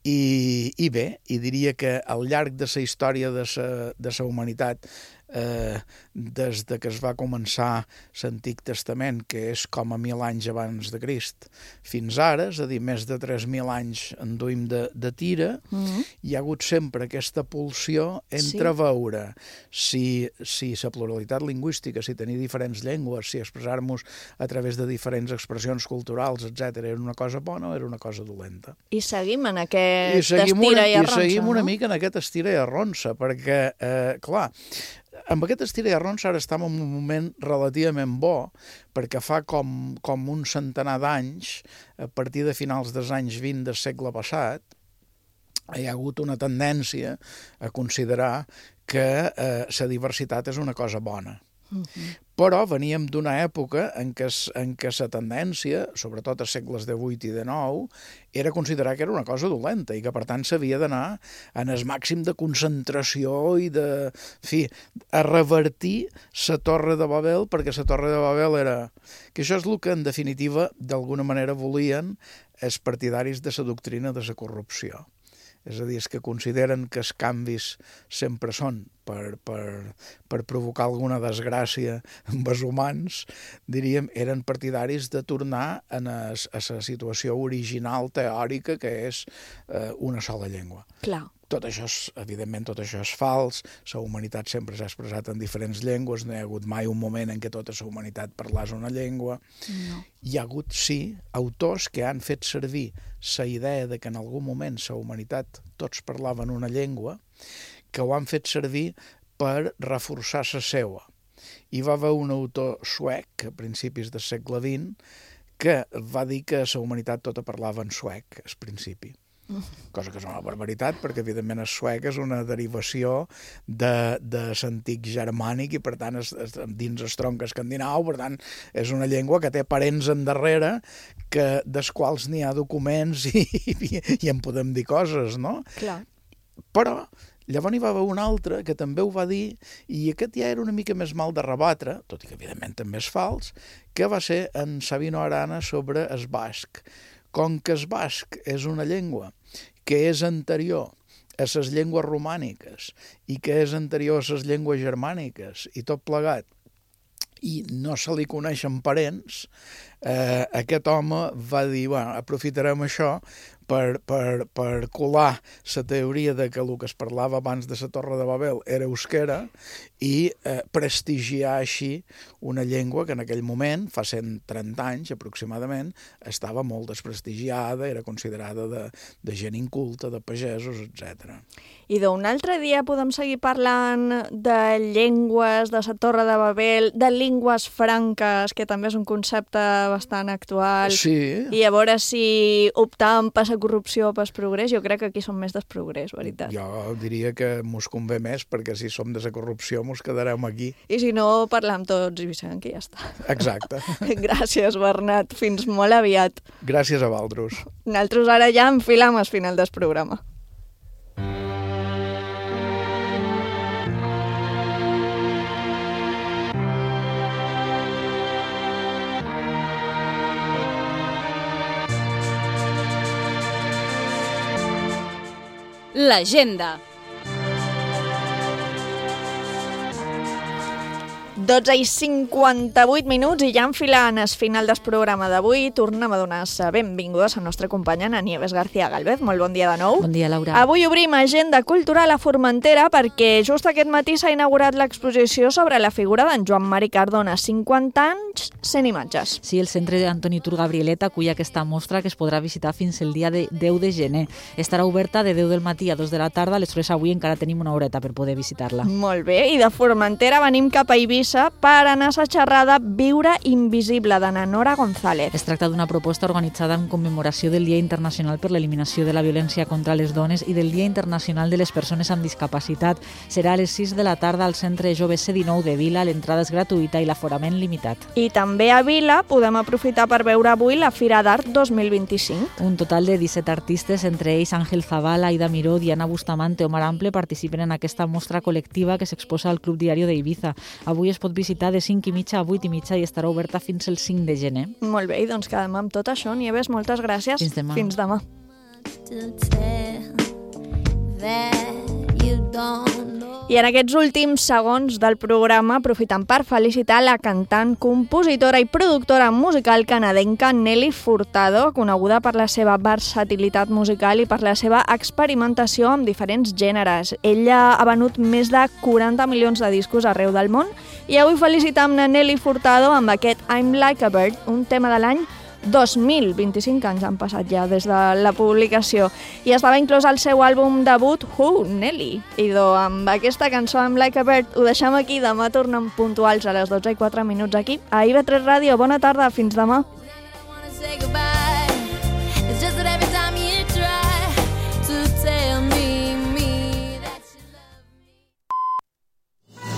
I bé, i diria que al llarg de la història de la humanitat, des de que es va començar l'Antic Testament, que és com a 1.000 anys abans de Crist, fins ara, és a dir, més de 3.000 anys en duim de tira, hi ha hagut sempre aquesta pulsió entre veure si la pluralitat lingüística, si tenir diferents llengües, si expressar-nos a través de diferents expressions culturals, etc., era una cosa bona o era una cosa dolenta. I seguim en aquest estira i arronsa, no? I seguim una mica en aquest estira i arronsa, perquè, clar, amb aquest estira i arronsa ara estem en un moment relativament bo, perquè fa com un centenar d'anys, a partir de finals dels anys 20 del segle passat, hi ha hagut una tendència a considerar que la diversitat és una cosa bona. Però veníem d'una època en què la tendència, sobretot als segles XVIII i XIX, era considerar que era una cosa dolenta i que, per tant, s'havia d'anar en el màxim de concentració i a revertir la Torre de Babel, perquè la Torre de Babel era... Que això és el que, en definitiva, d'alguna manera volien els partidaris de la doctrina de la corrupció. És a dir, els que consideren que els canvis sempre són per provocar alguna desgràcia amb els humans, diríem, eren partidaris de tornar a la situació original teòrica que és una sola llengua. Clar. Tot això, evidentment, tot això és fals, la humanitat sempre s'ha expressat en diferents llengües, no hi ha hagut mai un moment en què tota la humanitat parlés una llengua. No. Hi ha hagut, sí, autors que han fet servir la idea de que en algun moment la humanitat tots parlaven una llengua, que ho han fet servir per reforçar la seva. Hi va haver un autor suec, a principis del segle XX, que va dir que la humanitat tota parlava en suec, al principi. Cosa que és una barbaritat, perquè evidentment el suec és una derivació de l'antic germànic i per tant dins el tronc escandinau, per tant és una llengua que té parents endarrere dels quals n'hi ha documents i en podem dir coses, no? Clar. Però llavors n'hi va haver un altre que també ho va dir i aquest ja era una mica més mal de rebatre, tot i que evidentment també és fals, que va ser en Sabino Arana sobre el basc. Com que el basc és una llengua que és anterior a les llengües romàniques i que és anterior a les llengües germàniques i tot plegat, i no se li coneixen parents, aquest home va dir, bueno, aprofitarem això per colar la teoria de que el que es parlava abans de la Torre de Babel era euskera i prestigiar així una llengua que en aquell moment, fa 130 anys aproximadament, estava molt desprestigiada, era considerada de gent inculta, de pagesos, etc. I d'un altre dia podem seguir parlant de llengües, de la Torre de Babel, de llengües franques, que també és un concepte bastant actual. Sí. I a veure si optàvem per la corrupció o per el progrés. Jo crec que aquí som més del progrés, veritat. Jo diria que mos convé més, perquè si som de la corrupció mos quedarem aquí. I si no, parlam tots i Vicent, que ja està. Exacte. Gràcies, Bernat. Fins molt aviat. Gràcies a vosaltres. Nosaltres ara ja enfilam al final del programa. l'agenda. 12:58 i ja enfilant el final del programa d'avui, tornem a donar les benvingudes a la nostra companya Nieves García Galvez. Molt bon dia de nou. Bon dia, Laura. Avui obrim agenda cultural a Formentera perquè just aquest matí s'ha inaugurat l'exposició sobre la figura d'en Joan Mari Cardona, 50 anys, 100 imatges. Sí, el centre Antoni Tur Gabrieleta acull aquesta mostra que es podrà visitar fins el dia de 10 de gener. Estarà oberta de 10 del matí a 2 de la tarda, aleshores avui encara tenim una horeta per poder visitar-la. Molt bé, i de Formentera venim cap a Eivissa per anar a la xerrada Viure Invisible de Nora González. Es tracta d'una proposta organitzada en commemoració del Dia Internacional per l'Eliminació de la Violència contra les Dones i del Dia Internacional de les Persones amb Discapacitat. Serà a les 6 de la tarda al Centre Jove C19 de Vila, l'entrada és gratuïta i l'aforament limitat. I també a Vila podem aprofitar per veure avui la Fira d'Art 2025. Un total de 17 artistes, entre ells Àngel Zavala, Aida Miró, Diana Bustamante o Mar Ample, participen en aquesta mostra col·lectiva que s'exposa al Club Diario d'Eivissa. Avui es pot visitar de 5:30 a 8:30 i estarà oberta fins el 5 de gener. Molt bé, i doncs quedem amb tot això. Nieves, moltes gràcies. Fins demà. Fins demà. I en aquests últims segons del programa aprofitem per felicitar la cantant, compositora i productora musical canadenca Nelly Furtado, coneguda per la seva versatilitat musical i per la seva experimentació amb diferents gèneres. Ella ha venut més de 40 milions de discos arreu del món i avui felicitam a Nelly Furtado amb aquest I'm Like a Bird, un tema de l'any 2000, 25 anys han passat ja des de la publicació, i estava inclòs al seu àlbum debut Who, Nelly. I amb aquesta cançó I'm Like a Bird ho deixem aquí. Demà tornem puntuals a les 12:04 aquí a IB3 Ràdio. Bona tarda, fins demà.